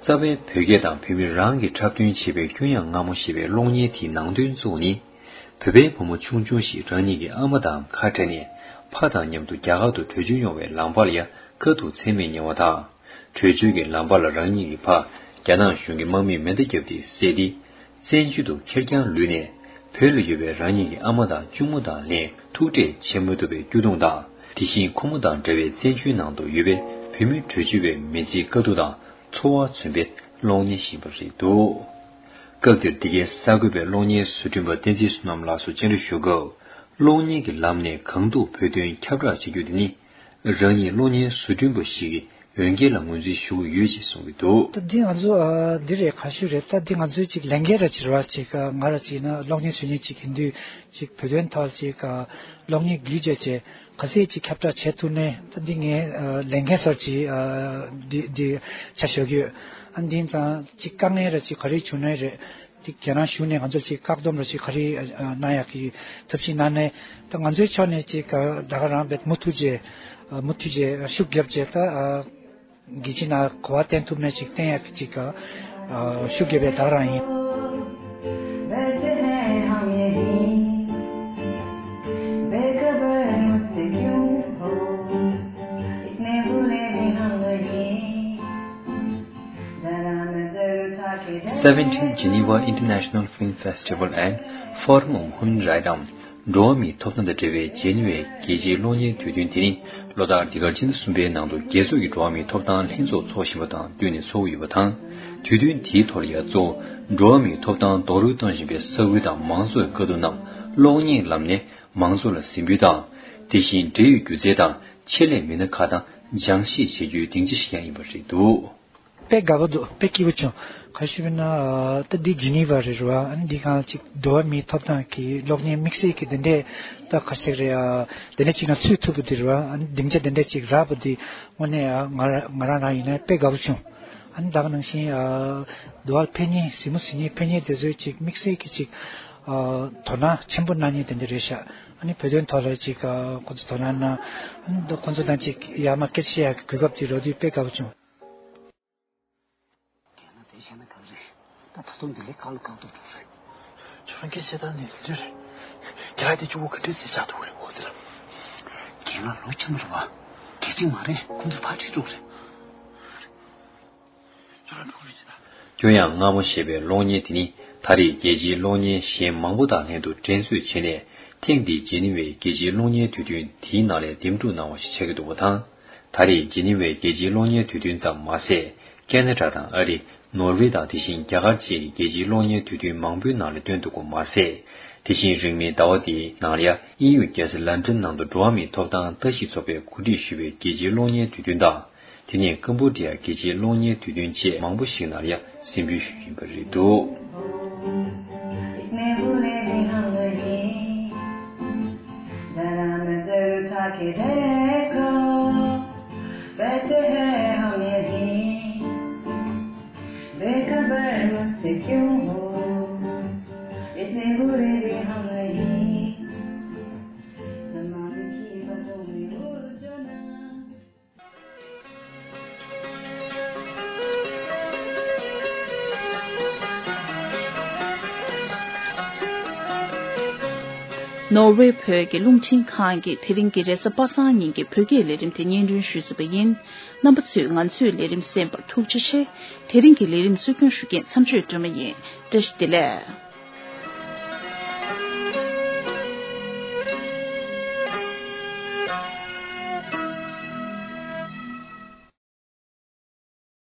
རྩ་བའི་བོད་སྐད་དང་བོད་མི་རང་གིས་འཁྲབ་སྟོན་བྱས་པའི་སྐྱོ་ཡང་མངར་མོ་ཞེས་པའི་གློག་བརྙན་དེའི་ནང་དོན་གཙོ་བོ་ནི། བོད་པའི་བུ་མོ་ཆུང་ཆུང་ཞིག་རང་ཉིད་ཀྱི་ཨ་མ་དང་ཁ་བྲལ་ནས་ཕ་དང་མཉམ་དུ་རྒྱ་གར་དུ་བྲོས་བྱོལ་ཡོང་བའི་ལམ་བར་ལ་ཡ་དཀའ་སྡུག་ཚད་མེད་མྱོང་བ་དང་། བྲོས་བྱོལ་གྱི་ལམ་བར་ལ་རང་ཉིད་ཀྱི་ཕ་རྒྱ་ནག་གཞུང་གི་དམག་མིས་མེ་མདའ་བརྒྱབ་སྟེ་བསད་དེ། བཙན་བྱོལ་དུ་ཁེར་རྐྱང་ལུས་ནས་བོད་ལ་ཡོད་པའི་རང་ཉིད་ཀྱི་ཨ་མ་དང་གཅུང་མོ་དང་ལྷན་ཐུག་འཕྲད་བྱེད་མ་ཐུབ་པའི་སྐྱོ་གདུང་དང་། དེ་བཞིན་ཁོ་མོ་དང་འདྲ་བའི་བཙན་བྱོལ་ནང་དུ་ཡོད་པའི་བོད་མི་བྲོས་བྱོལ་བའི་མི་ཚེའི་དཀའ་སྡུག་དང་ཚོར་བ་མཚོན་པའི་གློག་བརྙན་ཞིག་ཡིན་པ་རེད་འདུག་སྐབས་དེར་འདི་གའི་གསར་འགོད་པས་གློག་བརྙན་བཟོ་སྐྲུན་པ་བསྟན་འཛིན་བསོད་ནམས་ལགས་སུ་བཅར་འདྲི་ཞུ་སྐབས། གློག་བརྙན་གྱི་ལམ་ནས་གང་ཐུབ་བོད་དོན་ཁྱབ་བསྒྲགས་བྱེད་རྒྱུ་དེ་ནི། རང་ཉིད་གློག་བརྙན་བཟོ་སྐྲུན་པ་ཞིག་གི་འོས་འགན་ལ་ངོས་འཛིན་ཞུ་གི་ཡོད་ཅེས་གསུངས་ཀྱི་འདུག་ད་འདི་ང་ཚོ་ཨ་འདི་རེད་ག་ཞུ་རེད། ད་འདི་ང་ཚོའི་ཅིག་ལས་འགན་ར་ཅིག་རེད་བ། ཅིག་ཨ་ང་ར་ཅིག་ཡིན་ན་གློག་བརྙན་བཟོ་མཁན་ཅིག་ཡིན་དུས་ཅིག་བོད་དོན་ཐོག་ཅིག་ཨ་གློག་བརྙན་བརྒྱུད་བྱས་བྱས་ག་ཚད་ཅིག་ཁྱབ་བསྒྲགས་བྱེད་ཐུབ་ནའི་ད་འདི་ངའི་ཨ་ལས་འགན་སོར་ཅིག་ཨ་འདི་འདི་ཆ་བཞག་གི་ཡོད། ཨ་འདི་ཡིན་ཙང་ཅིག་དཀའ་ངལ་ར་ཅིག་ག་རེ་བྱུང་ནའི་རེད། ཅིག་ཁྱེད་རང་ཞུ་ནས་ང་ཚོར་ཅིག་བཀག་སྡོམ་ར་ཅིག་ག་རེ་ཨ་གནང་ཡག་གི་ཐབས་ཤེས་གནང་ནས་ད་ང་ཚོའི་ཕྱོགས་ནས་ཅིག་ཨ་ད་ག་རང་བེད་མུ་མཐུད་བྱས་ཨ་མུ་མཐུད་བྱས་ཤུགས་རྒྱབ་བྱས་ད་ཨ་དགེ་ཆེ་ན་གོ་བ་བསྟན་ཐུབ་ནས་ཅིག་བསྟན་ཡག་གི་ཅིག་ཨ་ཤུགས་རྒྱབ་པའི་ད་ག་རང་ཡིན། Seventeenth Geneva International Film Festival and Forum on Human Rights འམ། འགྲོ་བ་མིའི་ཐོབ་ཐང་དང་འབྲེལ་བའི་ཇི་ནི་ཝའི་རྒྱལ་སྤྱིའི་གློག་བརྙན་དུས་སྟོན་དེ་ནི་ལོ་ལྟར་འདི་གར་ཕྱི་ཟླ་གསུམ་པའི་ནང་དུ་རྒྱལ་ཚོགས་ཀྱི་འགྲོ་བ་མིའི་ཐོབ་ཐང་ལྷན་ཚོགས་འཚོགས་བཞིན་པ་དང་བསྟུན་ནས་འཚོགས་ཡོད་པ་དང་། དུས་སྟོན་དེའི་ཐོག་ལ་ཡང་གཙོ་བོ་འགྲོ་བ་མིའི་ཐོབ་ཐང་རྡོག་རོལ་གཏོང་བཞིན་པའི་ས་ཁུལ་དང་མང་ཚོགས་ཀྱི་དཀའ་སྡུག་རྣམས་གློག་བརྙན་ལམ་ནས་མང་ཚོགས་ལ་གཟིགས་འབུལ་དང་། དེ་བཞིན་འབྲེལ་ཡོད་སྒྱུ་རྩལ་དང་ཆེད་ལས་མི་སྣ་ཁག་དང་སྦྱང་བཤད་བྱེད་རྒྱུའི་སྡིངས་ཆ་ཞིག་ཀྱང་ཡིན་པ་རེད་འདུག་དཔེ་དགའ་པོ་འདུག་དཔེ་སྐྱིད་པོ་བྱུང་། ག་ཞུ་བས་ན་ད་འདི་ཇི་ནི་ཝ་རེད་རེད་བ། ཨ་ནི་འདི་གང་ཅིག་འགྲོ་བ་མིའི་ཐོབ་ཐང་གི་གློག་བརྙན་དམིགས་བསལ་གྱི་དེ་འདྲས་ད་ག་ཟེར་རེད་ཨ། དེ་འདྲས་ཅིག་ན་ཚུད་ཐུབ་པ་འདི་རེད་བ། ཨ་ནི་སྡིངས་ཆ་དེ་འདྲས་ཅིག་རག་པ་འདི་དངོས་གནས་ཨ་ང་ར་ང་རང་རང་ཡིན་ན་དཔེ་དགའ་པོ་བྱུང་། ཨ་ནི་ད་ག་ནང་བཞིན་ཨ་འདི་བ་ཕེབས་མཁན་གཟིགས་མོ་གཟིགས་མཁན་ཕེབས་མཁན་དེ་ཚོས་ཅིག་དམིགས་བསལ་གྱི་ཅིག་ཨ་དོ་སྣང་ཆེན་པོ་གནང་མཁན་དེ་འདྲས་རེད་ཤག་ཨ་ནི་བོད་དོན་ཐོག་ལ་ཅིག་ཨ་ཁོ་ཚོ་དོ་སྣང་གནང་། ཨ་ནི་ཁོ་ཚོ་དང་ཅིག་ཡར་མར་སྐད་ཆ་བཤད་ཡག་གི་གོ་སྐབས་དེ་རག་དུས་དཔེ་དགའ་པོ་བྱུང་། རྒན་ལགས་དེ་བཤད་ན་གང་རེད། ད་ད་དུང་འདི་ལས་གང་ལ་གང་འགྲོ་འགྲོ་རེད། ཁྱོད་རང་སྐད་ཆ་ད་ནི་ག་འདྲ་རེད། རྒན་ལགས་དེ་གཅིག་པོ་ག་འདྲས་བྱས་བཞག་འདུག་རེད་འོ་དེ་ལ། རྒན་ལགས་ལོ་ཆེན་པོ་རེད་བ། གལ་ཆེན་མ་རེད། ཁོང་ཚོ་ཕར་ཁྲིད་འགྲོ་གི་རེད། ཁྱོད་རང་འགྲོ་གི་རེད་ཅེ་ད། སྐྱོ་ཡང་མངར་མོ་ཞེས་པའི་གློག་བརྙན་དེ་ནི་ད་རེས་རྒྱལ་སྤྱིའི་གློག་བརྙན་གཞན་མང་པོ་དང་ལྷན་དུ་འགྲན་རྩོད་བྱས་ནས་ཐེངས་འདིའི་ཇི་ནི་ཝའི་རྒྱལ་སྤྱིའི་གློག་བརྙན་དུས་སྟོན་དེའི་ནང་ལས་འདེམས་སྒྲུག་གནང་བ་ཞིག་ཆགས་ཀྱི་འདུག་པ་དང་། ད་རེས་ཇི་ནི་ཝའི་རྒྱལ་སྤྱིའི་གློག་བརྙན་དུས་སྟོན་ཙམ་མ་ཟད། ཁེ་ན་ཌ་དང་ཨ་རི། ནོར་ཝེ་དང་དེ་བཞིན་རྒྱ་གར་བཅས་ཀྱི་རྒྱལ་སྤྱིའི་གློག་བརྙན་དུས་སྟོན་མང་པོའི་ནང་ལ་བཏོན་འདུག་པ་མ་ཟད། དེ་བཞིན་རིང་མིན་ཟླ་བ་འདིའི་ནང་ལ་ཡ་དབྱིན་ཡུལ་རྒྱལ་ས་ལན་ཀྲན་ནང་དུ་འགྲོ་བ་མིའི་ཐོབ་ཐང་ལྟ་ཞིབ་ཚོགས་པས་གོ་སྒྲིག་ཞུས་པའི་རྒྱལ་སྤྱིའི་གློག་བརྙན་དུས་སྟོན་དང་། དེ་ནས་ཀམ་བུ་ཌི་ཡ་རྒྱལ་སྤྱིའི་གློག་བརྙན་དུས་སྟོན་བཅས་མང་པོ་ཞིག་ནང་ལ་ཡ་གཟིགས་འབུལ་ཞུས་ཡིན་པ་རེད་འདུག बेखबर मुझसे क्यों हो, इतने बुरे भी हम नहीं। जमाने की बातों में उलझो ना। ནོར་ཝེ་བོད་ཀྱི་རླུང་འཕྲིན་ཁང་གིས་དེ་རིང་གི་རེས་གཟའ་པ་སངས་ཉིན་གྱི་བོད་སྐད་ལས་རིམ་དེ་སྙན་སྒྲོན་ཞུས་ཟིན་པ་ཡིན། རྣམ་པ་ཚོས་ང་ཚོའི་ལས་རིམ་གསན་པར་ཐུགས་རྗེ་ཆེ། དེ་རིང་གི་ལས་རིམ་གཙོ་སྐྱོང་ཞུ་མཁན་མཚམས་གཅོད་སྒྲོལ་མ་ཡིན། བཀྲ་ཤིས་བདེ་ལེགས།